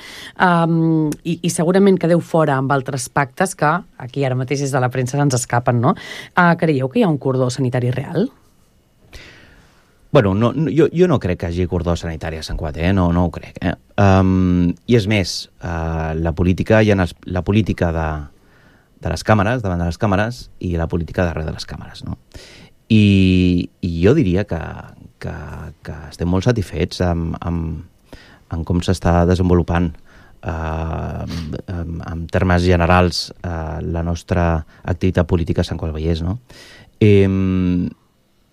um, i, i segurament quedeu fora amb altres pactes que aquí ara mateix des de la premsa ens escapen, no? Uh, creieu que hi ha un cordó sanitari real? Bueno, no, no, jo, jo no crec que hi hagi cordó sanitari a Sant Cugat, eh? no, no ho crec. Eh? Um, I és més, uh, la política, hi ha la política de, de les càmeres, davant de les càmeres, i la política darrere de les càmeres, no? I, i jo diria que, que, que estem molt satisfets amb, amb, amb com s'està desenvolupant uh, en, en termes generals uh, la nostra activitat política a Sant Cugat del Vallès, no? Eh,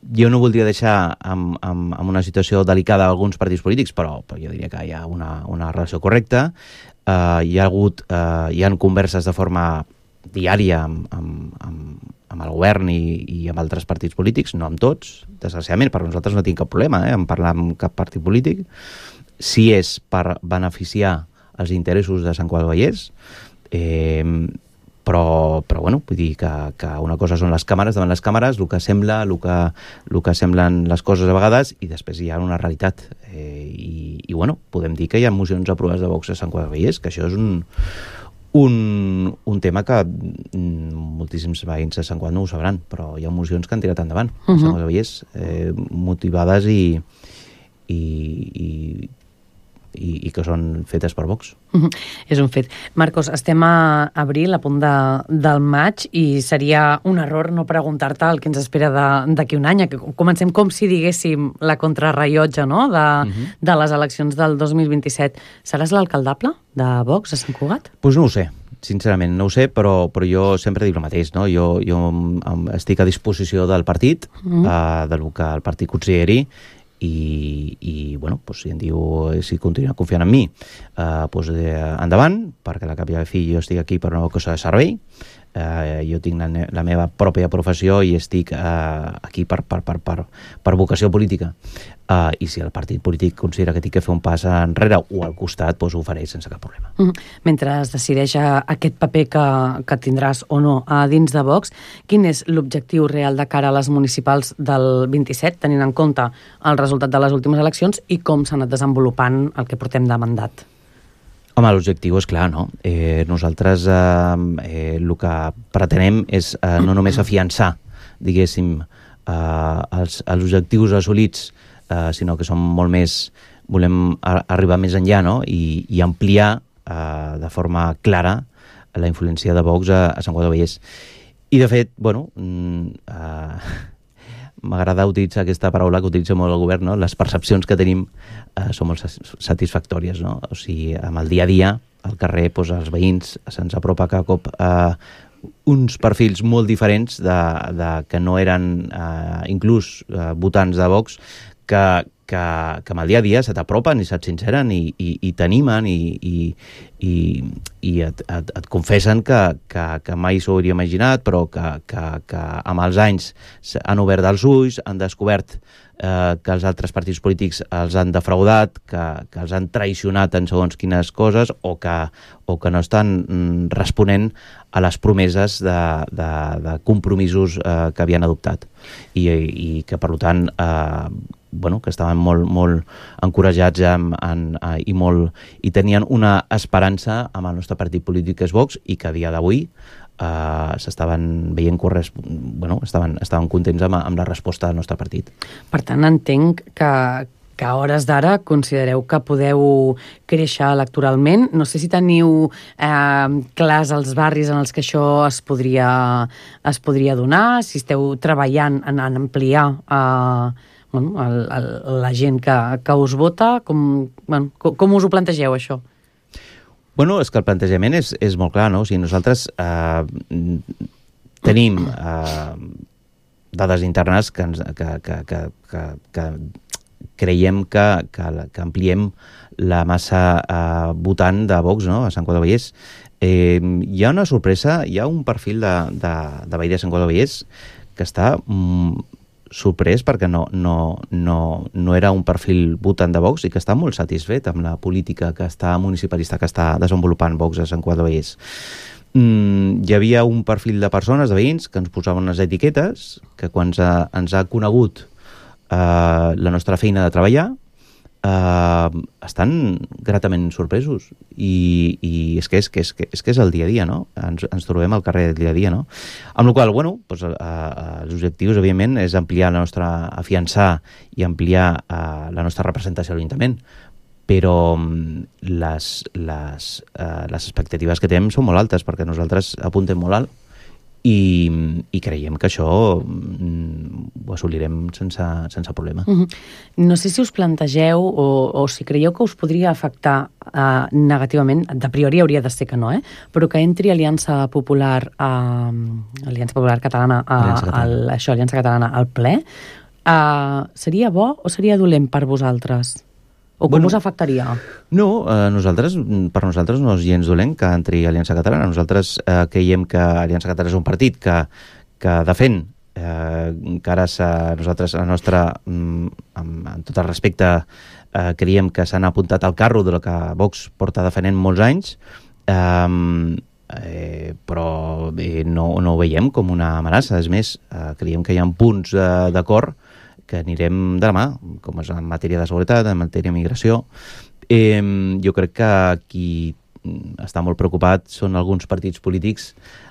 Jo no voldria deixar amb, amb, amb una situació delicada alguns partits polítics, però, però jo diria que hi ha una, una relació correcta. Uh, hi ha hagut, uh, hi ha converses de forma diària amb, amb, amb, amb el govern i, i amb altres partits polítics, no amb tots, desgraciadament, perquè nosaltres no tinc cap problema eh, en parlar amb cap partit polític. Si és per beneficiar els interessos de Sant Cugat del Vallès, eh, Però, però bueno, vull dir que, que una cosa són les càmeres, davant les càmeres, el que sembla, el que, el que semblen les coses a vegades, i després hi ha una realitat. Eh, i, I, bueno, podem dir que hi ha mocions aprovades de Vox a Sant Cugat del Vallès, que això és un, un, un tema que moltíssims veïns de Sant Cugat no ho sabran, però hi ha mocions que han tirat endavant a Sant Cugat del Vallès, eh, motivades i, i, i I, i que són fetes per Vox. Mm-hmm. És un fet. Marcos, estem a abril, a punt de, del maig, i seria un error no preguntar-te el que ens espera d'aquí un any. Que comencem com si diguéssim la contrarrellotge, no? de, mm-hmm. de les eleccions del dos mil vint-i-set. Seràs l'alcaldable de Vox a Sant Cugat? Doncs pues no ho sé. Sincerament, no ho sé, però, però jo sempre dic el mateix, no? Jo, jo estic a disposició del partit, mm-hmm. uh, del que el partit consideri, i, i bueno, pues, si em diu si continua confiant en mi, eh, pues, eh, endavant, perquè a la cap i a la fi jo estic aquí per una cosa de servei, eh, jo tinc la, la meva pròpia professió i estic eh, aquí per, per, per, per, per vocació política, eh, i si el partit polític considera que tinc que fer un pas enrere o al costat, pues, ho faré sense cap problema. Mm-hmm. Mentre es decideix aquest paper que, que tindràs o no a dins de Vox, quin és l'objectiu real de cara a les municipals del vint-i-set, tenint en compte el resultat de les últimes eleccions i com s'ha anat desenvolupant el que portem de mandat? Home, l'objectiu és clar, no? Eh, nosaltres eh, eh, el que pretenem és eh, no només afiançar, diguéssim, eh, els, els objectius assolits, eh, sinó que som molt més, volem a, arribar més enllà, no? I, i ampliar eh, de forma clara la influència de Vox a, a Sant Cugat del Vallès. I, de fet, bueno, uh, m'agrada utilitzar aquesta paraula que utilitza molt el govern, no? Les percepcions que tenim uh, són molt satisfactòries, no? O sigui, amb el dia a dia, al carrer, doncs, els veïns se'ns apropa cada cop uh, uns perfils molt diferents de, de, que no eren uh, inclús uh, votants de Vox, que, que, que amb el dia a dia se t'apropen i se't sinceren i, i, i t'animen i, i, i, i et, et, et confessen que, que, que mai s'ho hauria imaginat, però que, que, que amb els anys han obert els ulls, han descobert eh, que els altres partits polítics els han defraudat, que, que els han traicionat en segons quines coses o que, o que no estan mm, responent a les promeses de, de, de compromisos eh, que havien adoptat i, i que, per tant, eh, bueno, que estaven molt, molt encoratjats en, en, en, i, molt, i tenien una esperança amb el nostre partit polític, que és Vox, i que a dia d'avui eh, s'estaven veient corres... bueno, estaven, estaven contents amb, amb la resposta del nostre partit. Per tant, entenc que, que a hores d'ara considereu que podeu créixer electoralment. No sé si teniu eh, clars els barris en els que això es podria, es podria donar, si esteu treballant en, en ampliar eh, bueno, el, el, la gent que, que us vota. Com, bueno, com, com us ho plantegeu, això? Bueno, és que el plantejament és, és molt clar, no? O sigui, nosaltres eh, tenim eh, dades internes que, ens, que, que, que, que, que creiem que, que, que ampliem la massa eh, votant de Vox, no?, a Sant Cugat del Vallès. Eh, hi ha una sorpresa, hi ha un perfil de, de, de veí de Sant Cugat del Vallès que està mm, sorprès perquè no, no, no, no era un perfil votant de Vox i que està molt satisfet amb la política que està municipalista que està desenvolupant Vox a Sant Cugat del Vallès. Mm, hi havia un perfil de persones, de veïns, que ens posaven unes etiquetes, que quan ens ha, ens ha conegut eh, la nostra feina de treballar, eh, estan gratament sorpresos. I, i és, que és, que és, que és que és el dia a dia, no? Ens, ens trobem al carrer del dia a dia, no? Amb la qual cosa, bueno, doncs, eh, els objectius, evidentment, és ampliar la nostra, afiançar i ampliar eh, la nostra representació a l'Ajuntament. Però les, les, eh, les expectatives que tenim són molt altes, perquè nosaltres apuntem molt alt i, i creiem que això mm, ho assolirem sense, sense problema. Uh-huh. No sé si us plantegeu o, o si creieu que us podria afectar uh, negativament, de priori hauria de ser que no, eh? Però que entri Aliança Popular, uh, Aliança Popular Catalana, a, Aliança Catalana. Al, això, Aliança Catalana al ple. Uh, seria bo o seria dolent per vosaltres? O com bueno, us afectaria? No, eh, nosaltres, per nosaltres no és gens dolent que entri Aliança Catalana. Nosaltres eh, creiem que Aliança Catalana és un partit que, que defèn eh, encara nosaltres, la nostra, mm, amb, amb tot el respecte, eh, creiem que s'han apuntat al carro de lo que Vox porta defenent molts anys, eh, eh, però eh, no, no ho veiem com una amenaça. És més, eh, creiem que hi ha punts eh, d'acord que anirem de la mà, com és en matèria de seguretat, en matèria de migració. Eh, jo crec que qui està molt preocupat són alguns partits polítics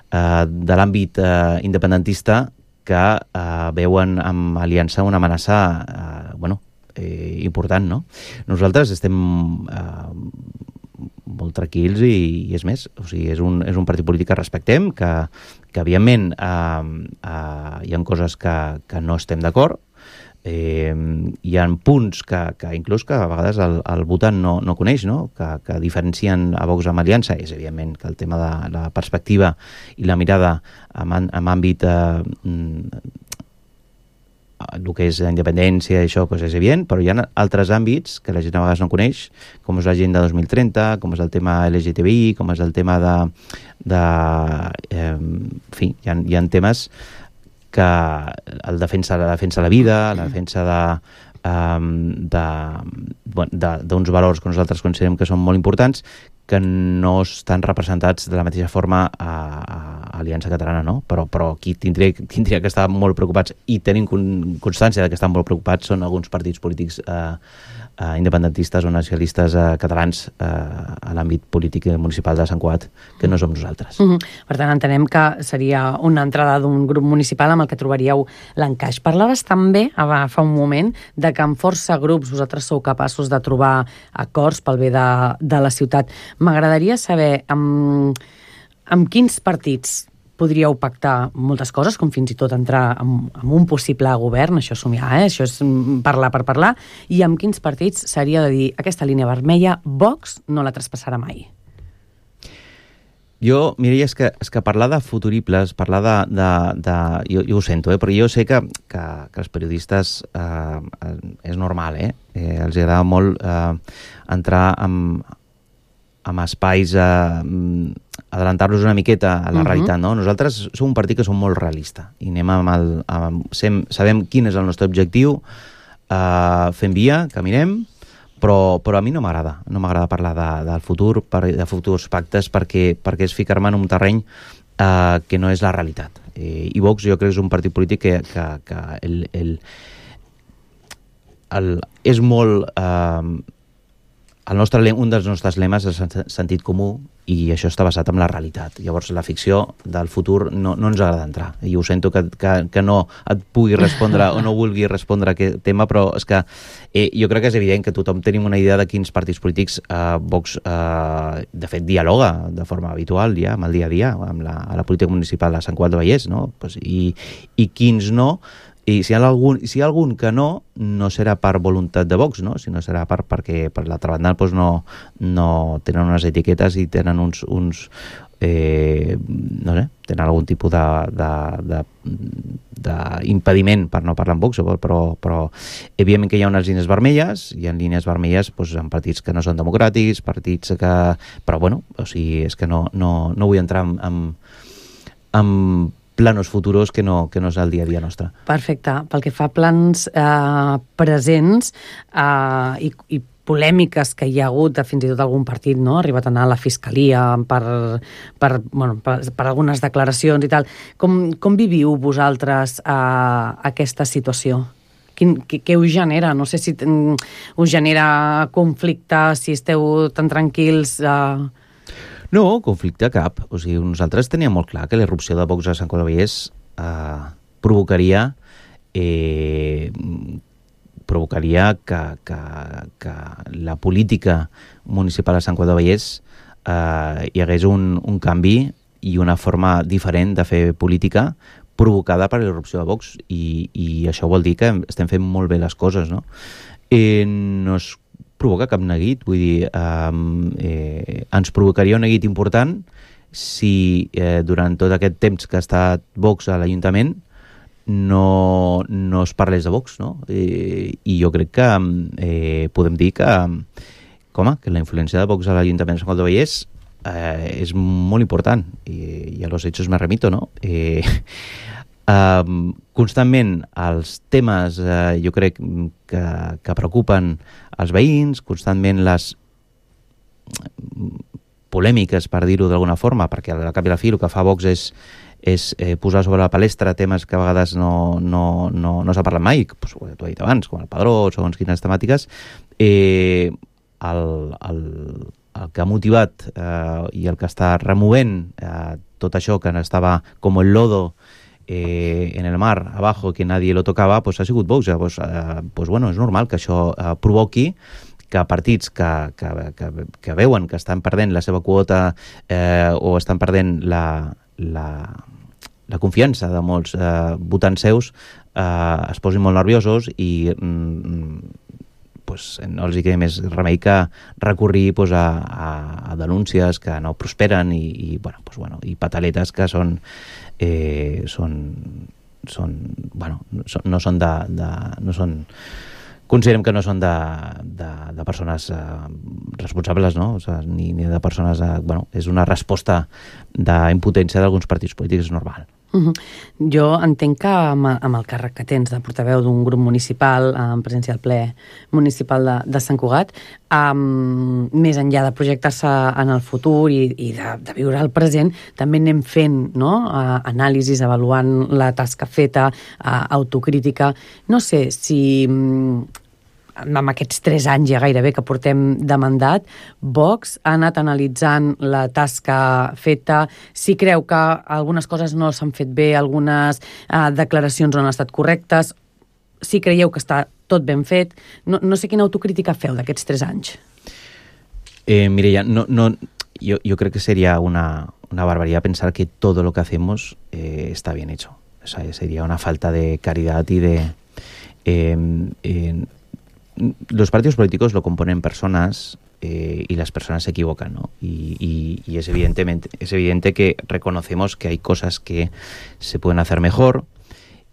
eh, de l'àmbit eh, independentista que eh, veuen amb Aliança una amenaça eh, bueno, eh, important, no? Nosaltres estem eh, molt tranquils i, i és més, o sigui, és un, és un partit polític que respectem, que, que evidentment eh, eh, hi ha coses que, que no estem d'acord. Eh, hi ha punts que, que inclús que a vegades el, el votant no, no coneix, no? Que, que diferencien a Vox amb Aliança. És evidentment que el tema de la perspectiva i la mirada en, en àmbit eh, el que és la independència i això doncs és evident, però hi ha altres àmbits que la gent a vegades no coneix, com és l'agenda dos mil trenta, com és el tema L G T B I, com és el tema de... de eh, en fi, hi ha, hi ha temes que el defensa, la defensa de la vida, la defensa de, um, de, de, d'uns valors que nosaltres considerem que són molt importants, que no estan representats de la mateixa forma a, a Aliança Catalana, no? Però, però qui tindria, tindria que estar molt preocupats i tenim constància de que estan molt preocupats són alguns partits polítics eh, eh, independentistes o nacionalistes eh, catalans eh, a l'àmbit polític municipal de Sant Cugat, que no som nosaltres. Uh-huh. Per tant, entenem que seria una entrada d'un grup municipal amb el que trobaríeu l'encaix. Parlaves també, fa un moment, de que amb força grups vosaltres sou capaços de trobar acords pel bé de, de la ciutat. M'agradaria saber amb, amb quins partits podríeu pactar moltes coses, com fins i tot entrar en, en un possible govern, això és somiar, eh? Això és parlar per parlar, i amb quins partits seria de dir aquesta línia vermella, Vox no la traspassarà mai? Jo, Mireia, és que, és que parlar de futuribles, parlar de... de, de jo, jo ho sento, eh, però jo sé que, que, que els periodistes eh, és normal, eh? eh els agrada molt eh, entrar en, en espais, eh, adelantar-los una miqueta a la uh-huh. realitat, no? Nosaltres som un partit que som molt realista i anem amb el... Amb, sem, sabem quin és el nostre objectiu, eh, fem via, caminem, Però, però a mi no m'agrada, no m'agrada parlar de, del futur, per, de futurs pactes, perquè, perquè és ficar-me en un terreny eh, que no és la realitat. Eh, I Vox jo crec que és un partit polític que, que, que el, el, el, és molt... Eh, el nostre, un dels nostres lemes és el sentit comú, i això està basat en la realitat. Llavors la ficció del futur no, no ens agrada entrar. I ho sento que, que, que no et pugui respondre o no vulgui respondre a aquest tema, però és que eh, jo crec que és evident que tothom tenim una idea de quins partits polítics eh, Vox, eh, de fet, dialoga de forma habitual ja, amb el dia a dia, amb la, a la política municipal de Sant Cugat del Vallès, no? Pues, i, i quins no. I si hi ha algun, si hi ha algun que no, no serà per voluntat de Vox, no? Sinó serà per, perquè per l'altra banda doncs no, no tenen unes etiquetes i tenen uns, uns eh, no sé, tenen algun tipus de, de, de, d'impediment per no parlar amb Vox, però, però evidentment que hi ha unes línies vermelles, hi ha línies vermelles doncs, en partits que no són democràtics, partits que... Però bueno, o sigui, és que no, no, no vull entrar en, en, en planos futuros que no, que no és el dia a dia nostre. Perfecte. Pel que fa a plans eh, presents eh, i, i polèmiques que hi ha hagut de fins i tot algun partit, no? Ha arribat a anar a la fiscalia per, per, bueno, per, per algunes declaracions i tal. Com, com viviu vosaltres eh, aquesta situació? Quin, què, què us genera? No sé si ten, us genera conflicte, si esteu tan tranquils... Eh... No, conflicte cap. O sigui, nosaltres teníem molt clar que la irrupció de Vox a Sant Cugat del Vallès eh, provocaria eh, provocaria que, que, que la política municipal a Sant Cugat del Vallès eh, hi hagués un, un canvi i una forma diferent de fer política provocada per la irrupció de Vox, i, i això vol dir que estem fent molt bé les coses, no? Eh, no es provoca cap neguit, vull dir, eh, eh, ens provocaria un neguit important si eh, durant tot aquest temps que ha estat Vox a l'Ajuntament no, no es parlés de Vox, no? Eh, I jo crec que eh, podem dir que, com, que la influència de Vox a l'Ajuntament de Sant Cugat del Vallès eh, és molt important, i, i a los hechos me remito, no? Eh, Uh, constantment els temes uh, jo crec que, que preocupen els veïns, constantment les polèmiques, per dir-ho d'alguna forma, perquè al cap i a la fi el que fa Vox és, és eh, posar sobre la palestra temes que a vegades no, no, no, no s'ha parlat mai, pues, ho he dit abans, com el padró, segons quines temàtiques. eh, el, el, el que ha motivat eh, i el que està removent eh, tot això que estava com el lodo Eh, en el mar abajo, que nadie lo tocava, pues ha sigut Vox. Pues, eh, pues bueno, és normal que això eh, provoqui que partits que, que, que, que veuen que estan perdent la seva quota eh, o estan perdent la, la, la confiança de molts eh, votants seus eh, es posin molt nerviosos i mm, pues, no els hi queda més remei que recurrir pues, a, a, a denúncies que no prosperen i, i, bueno, pues, bueno, i pataletes que són Eh, són, són bueno, no són de, de no són, considerem que no són de, de, de persones eh, responsables, no? O sigui, ni, ni de persones eh, bueno, és una resposta d'impotència d'alguns partits polítics normal. Uh-huh. Jo entenc que amb, amb el càrrec que tens de portaveu d'un grup municipal en presència al ple municipal de, de Sant Cugat, um, més enllà de projectar-se en el futur i, i de, de viure el present, també anem fent, no? uh, anàlisis, avaluant la tasca feta, uh, autocrítica. No sé si amb aquests tres anys ja gairebé que portem de mandat, Vox ha anat analitzant la tasca feta, si creu que algunes coses no s'han fet bé, algunes eh, declaracions no han estat correctes, si creieu que està tot ben fet. No, no sé quina autocrítica feu d'aquests tres anys. Eh, Mireia, no, no, jo, jo crec que seria una, una barbaridad pensar que todo lo que hacemos eh, está bien hecho. O sea, sería una falta de caridad y de... Eh, eh, los partidos políticos lo componen personas eh, y las personas se equivocan, ¿no? Y, y, y es, evidentemente, es evidente que reconocemos que hay cosas que se pueden hacer mejor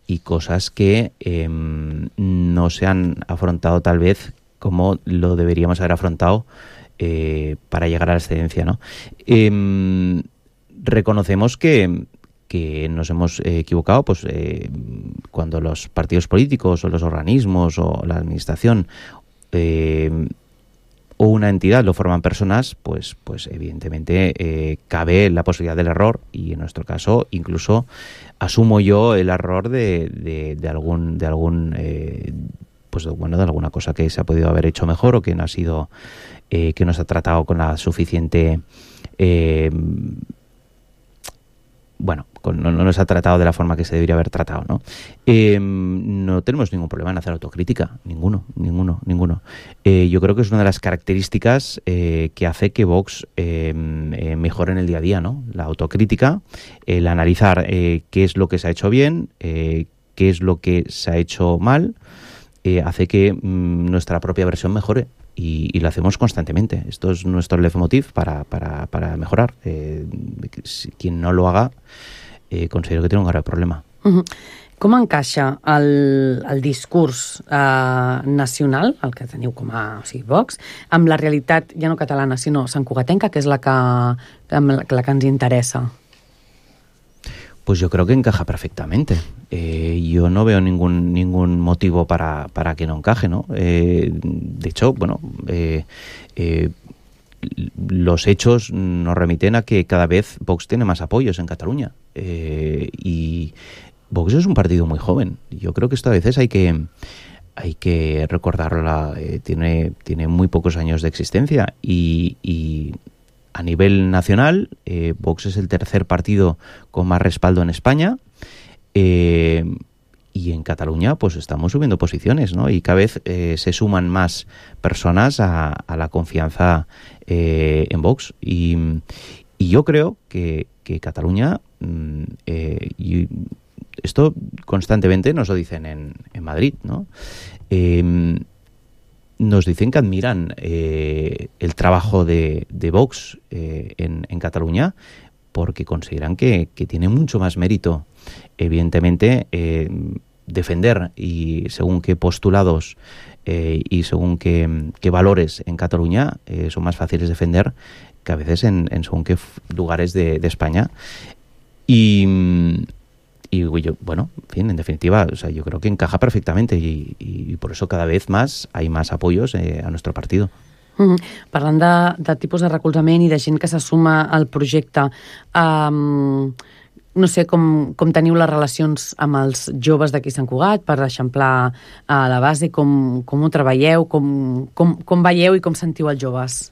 y cosas que eh, no se han afrontado tal vez como lo deberíamos haber afrontado eh, para llegar a la excelencia, ¿no? Eh, reconocemos que, que nos hemos eh, equivocado pues eh, cuando los partidos políticos o los organismos o la administración eh, o una entidad lo forman personas, pues, pues evidentemente eh, cabe la posibilidad del error y en nuestro caso incluso asumo yo el error de, de, de algún de algún eh, pues bueno de alguna cosa que se ha podido haber hecho mejor o que no ha sido eh, que no se ha tratado con la suficiente eh, bueno, con, no, no nos ha tratado de la forma que se debería haber tratado, ¿no? Eh, no tenemos ningún problema en hacer autocrítica, ninguno, ninguno, ninguno. Eh, yo creo que es una de las características eh, que hace que Vox eh, eh, mejore en el día a día, ¿no? La autocrítica, el analizar eh, qué es lo que se ha hecho bien, eh, qué es lo que se ha hecho mal, eh, hace que mm, nuestra propia versión mejore. Y, y lo hacemos constantemente. Esto es nuestro leitmotiv para, para, para mejorar. Eh, si, quien no lo haga, eh, considero que tiene un grave problema. Uh-huh. Com encaixa el, el discurs eh, nacional, el que teniu com a o sigui, Vox, amb la realitat ja no catalana, sinó santcugatenca, que és la que, la que ens interessa? Pues yo creo que encaja perfectamente. Eh, yo no veo ningún ningún motivo para, para que no encaje, ¿no? Eh, de hecho, bueno, eh, eh, los hechos nos remiten a que cada vez Vox tiene más apoyos en Cataluña. Eh, y Vox es un partido muy joven. Yo creo que esto a veces hay que hay que recordarlo. Eh, tiene, tiene muy pocos años de existencia y... y a nivel nacional, eh, Vox es el tercer partido con más respaldo en España eh, y en Cataluña pues estamos subiendo posiciones, ¿no? Y cada vez eh, se suman más personas a, a la confianza eh, en Vox y, y yo creo que, que Cataluña, eh, y esto constantemente nos lo dicen en, en Madrid, ¿no? Eh, nos dicen que admiran eh, el trabajo de, de Vox eh, en, en Cataluña porque consideran que, que tiene mucho más mérito, evidentemente, eh, defender y según qué postulados eh, y según qué, qué valores en Cataluña eh, son más fáciles de defender que a veces en, en según qué lugares de, de España. Y... Y yo, bueno, en fin, en definitiva, o sea, yo creo que encaja perfectamente y, y por eso cada vez más hay más apoyos eh, a nuestro partido. Mm-hmm. Parlant de, de tipus de recolzament i de gent que se suma al projecte, um, no sé com, com teniu les relacions amb els joves d'aquí Sant Cugat per eixamplar a la base, com, com ho treballeu, com, com, com veieu i com sentiu els joves?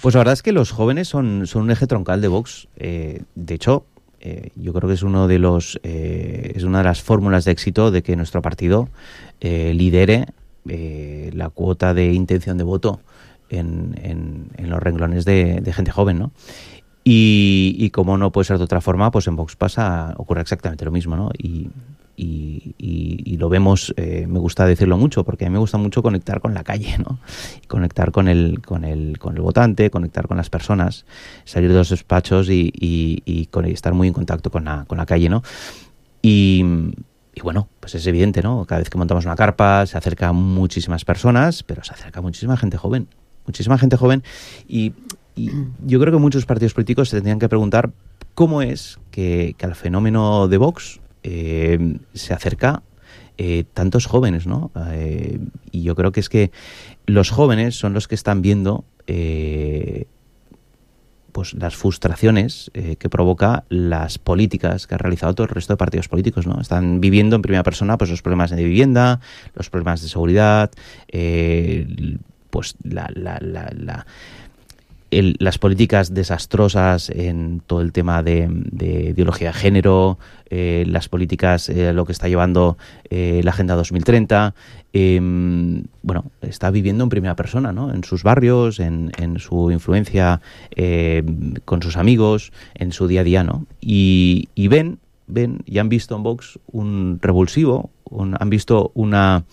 Pues la verdad es que los jóvenes son, son un eje troncal de Vox. Eh, de hecho, Eh, yo creo que es uno de los eh, es una de las fórmulas de éxito de que nuestro partido eh, lidere eh, la cuota de intención de voto en, en, en los renglones de, de gente joven, ¿no? Y, y como no puede ser de otra forma, pues en Vox pasa, ocurre exactamente lo mismo, ¿no? Y, y, y, y lo vemos, eh, me gusta decirlo mucho, porque a mí me gusta mucho conectar con la calle, ¿no? Conectar con el, con el, con el votante, conectar con las personas, salir de los despachos y, y, y, con, y estar muy en contacto con la, con la calle, ¿no? Y, y bueno, pues es evidente, ¿no? Cada vez que montamos una carpa se acerca muchísimas personas, pero se acerca muchísima gente joven, muchísima gente joven y... Y yo creo que muchos partidos políticos se tendrían que preguntar cómo es que, que al fenómeno de Vox eh, se acerca eh, tantos jóvenes, ¿no? Eh, y yo creo que es que los jóvenes son los que están viendo eh, pues las frustraciones eh, que provoca las políticas que ha realizado todo el resto de partidos políticos, ¿no? Están viviendo en primera persona pues los problemas de vivienda, los problemas de seguridad, eh, pues la... la, la, la el, las políticas desastrosas en todo el tema de, de ideología de género, eh, las políticas, eh, lo que está llevando eh, la Agenda dos mil treinta, eh, bueno, está viviendo en primera persona, ¿no? En sus barrios, en, en su influencia eh, con sus amigos, en su día a día, ¿no? Y, y ven, ven y han visto en Vox un revulsivo, un, han visto una,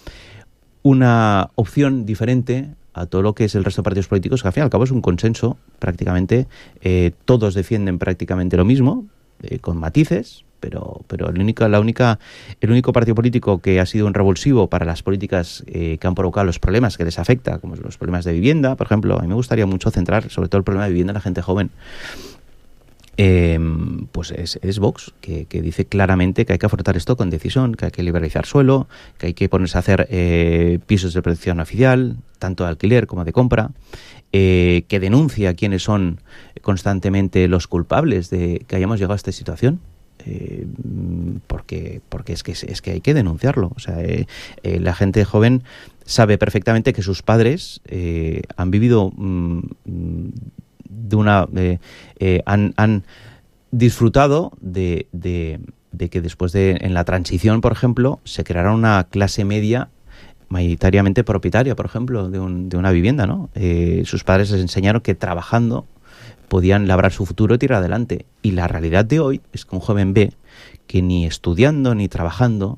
una opción diferente a todo lo que es el resto de partidos políticos, que al fin y al cabo es un consenso prácticamente, eh, todos defienden prácticamente lo mismo, eh, con matices, pero, pero el, único, la única, el único partido político que ha sido un revulsivo para las políticas eh, que han provocado los problemas que les afecta, como los problemas de vivienda, por ejemplo, a mí me gustaría mucho centrar sobre todo el problema de vivienda en la gente joven. Eh, pues es, es Vox, que, que dice claramente que hay que afrontar esto con decisión, que hay que liberalizar suelo, que hay que ponerse a hacer eh, pisos de protección oficial, tanto de alquiler como de compra, eh, que denuncia quiénes son constantemente los culpables de que hayamos llegado a esta situación. Eh, porque porque es que es que hay que denunciarlo. O sea, eh, eh, la gente joven sabe perfectamente que sus padres eh, han vivido mm, de una eh, eh, han, han disfrutado de, de, de que después de en la transición, por ejemplo, se creara una clase media mayoritariamente propietaria, por ejemplo, de, un, de una vivienda, ¿no? Eh, sus padres les enseñaron que trabajando podían labrar su futuro y tirar adelante. Y la realidad de hoy es que un joven ve que ni estudiando ni trabajando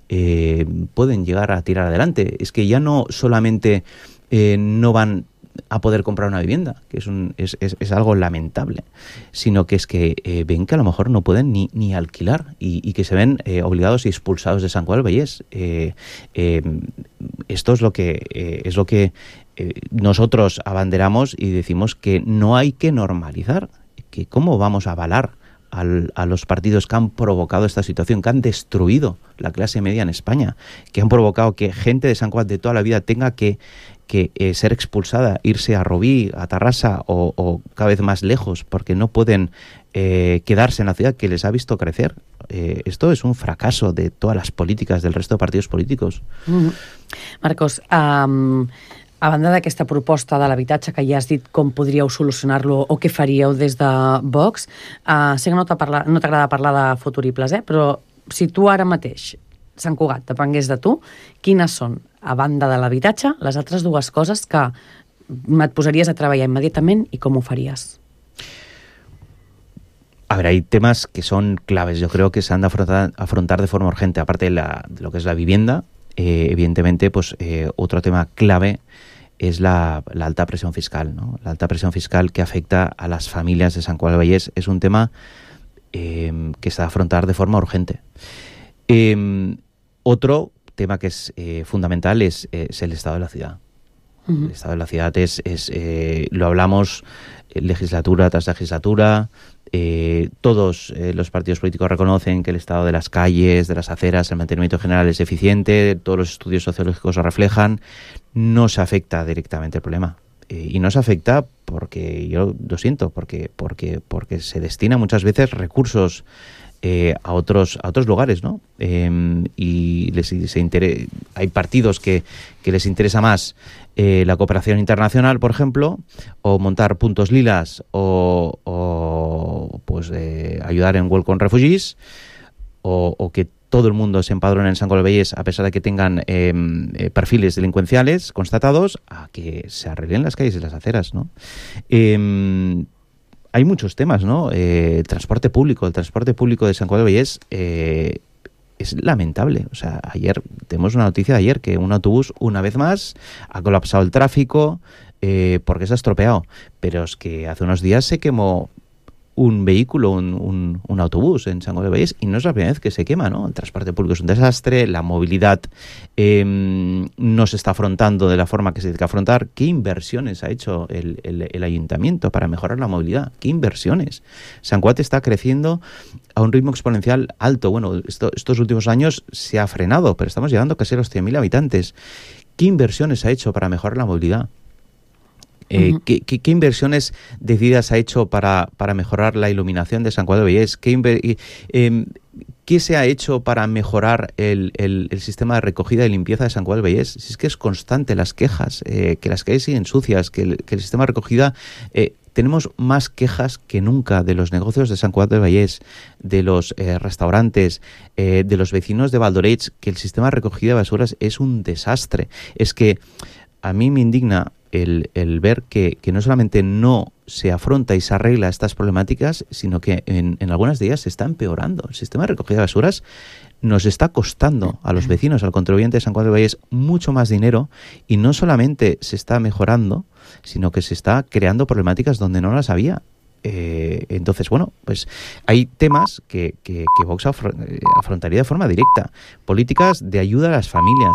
eh, pueden llegar a tirar adelante. Es que ya no solamente eh, no van a poder comprar una vivienda, que es, un, es, es, es algo lamentable, sino que es que eh, ven que a lo mejor no pueden ni, ni alquilar y, y que se ven eh, obligados y expulsados de Sant Cugat del Vallès. Eh, eh, esto es lo que eh, es lo que eh, nosotros abanderamos y decimos que no hay que normalizar, que cómo vamos a avalar Al, a los partidos que han provocado esta situación, que han destruido la clase media en España, que han provocado que gente de Sant Cugat de toda la vida tenga que, que eh, ser expulsada, irse a Rubí, a Tarrasa o, o cada vez más lejos, porque no pueden eh, quedarse en la ciudad que les ha visto crecer. Eh, esto es un fracaso de todas las políticas del resto de partidos políticos. Mm-hmm. Marcos, um... a banda d'aquesta proposta de l'habitatge que ja has dit com podríeu solucionar-lo o què faríeu des de Vox, uh, sé que no t'agrada no t'agrada parlar de futuribles, eh? Però si tu ara mateix, Sant Cugat, depengués de tu, quines són, a banda de l'habitatge, les altres dues coses que et posaries a treballar immediatament i com ho faries? A ver, hay temas que son claves. Yo creo que se han de afrontar, afrontar de forma urgente, aparte de, la, de lo que es la vivienda. Eh, evidentemente, pues eh, otro tema clave es la, la alta presión fiscal, ¿no? La alta presión fiscal que afecta a las familias de Sant Cugat del Vallès es un tema eh, que se ha de afrontar de forma urgente. Eh, otro tema que es eh, fundamental es, es el estado de la ciudad. Uh-huh. El estado de la ciudad es, es eh, lo hablamos legislatura tras legislatura. Eh, todos eh, los partidos políticos reconocen que el estado de las calles, de las aceras, el mantenimiento general es deficiente, todos los estudios sociológicos lo reflejan, no se afecta directamente el problema. Eh, y no se afecta porque, yo lo siento, porque, porque, porque se destina muchas veces recursos eh, a otros a otros lugares, ¿no? Eh, y les, se inter- hay partidos que, que les interesa más eh, la cooperación internacional, por ejemplo, o montar puntos lilas, o, o pues eh, ayudar en Welcome Refugees, o, o que todo el mundo se empadrone en Sant Cugat del Vallès a pesar de que tengan eh, perfiles delincuenciales constatados, a que se arreglen las calles y las aceras, ¿no? Eh, hay muchos temas, ¿no? Eh, el transporte público, el transporte público de Sant Cugat del Vallès eh, es lamentable. O sea, ayer, tenemos una noticia de ayer que un autobús, una vez más, ha colapsado el tráfico eh, porque se ha estropeado. Pero es que hace unos días se quemó un vehículo, un, un, un autobús en Sant Cugat del Vallès, y no es la primera vez que se quema, ¿no? El transporte público es un desastre, la movilidad eh, no se está afrontando de la forma que se tiene que afrontar. ¿Qué inversiones ha hecho el, el, el ayuntamiento para mejorar la movilidad? ¿Qué inversiones? Sant Cugat está creciendo a un ritmo exponencial alto. Bueno, esto, estos últimos años se ha frenado, pero estamos llegando casi a los cien mil habitantes. ¿Qué inversiones ha hecho para mejorar la movilidad? Eh, uh-huh. ¿qué, qué, ¿Qué inversiones decididas ha hecho para, para mejorar la iluminación de Sant Cugat del Vallès? ¿Qué, inver- eh, ¿Qué se ha hecho para mejorar el, el, el sistema de recogida y limpieza de Sant Cugat del Vallès? Si es que es constante las quejas, eh, que las calles siguen sucias, que el, que el sistema de recogida... Eh, tenemos más quejas que nunca de los negocios de Sant Cugat del Vallès, de los eh, restaurantes, eh, de los vecinos de Valdoreig, que el sistema de recogida de basuras es un desastre. Es que a mí me indigna el, el ver que, que no solamente no se afronta y se arregla estas problemáticas, sino que en, en algunas de ellas se está empeorando. El sistema de recogida de basuras nos está costando a los vecinos, al contribuyente de Sant Cugat del Vallès, mucho más dinero, y no solamente se está mejorando, sino que se está creando problemáticas donde no las había. Eh, entonces, bueno, pues hay temas que, que, que Vox afrontaría de forma directa. Políticas de ayuda a las familias.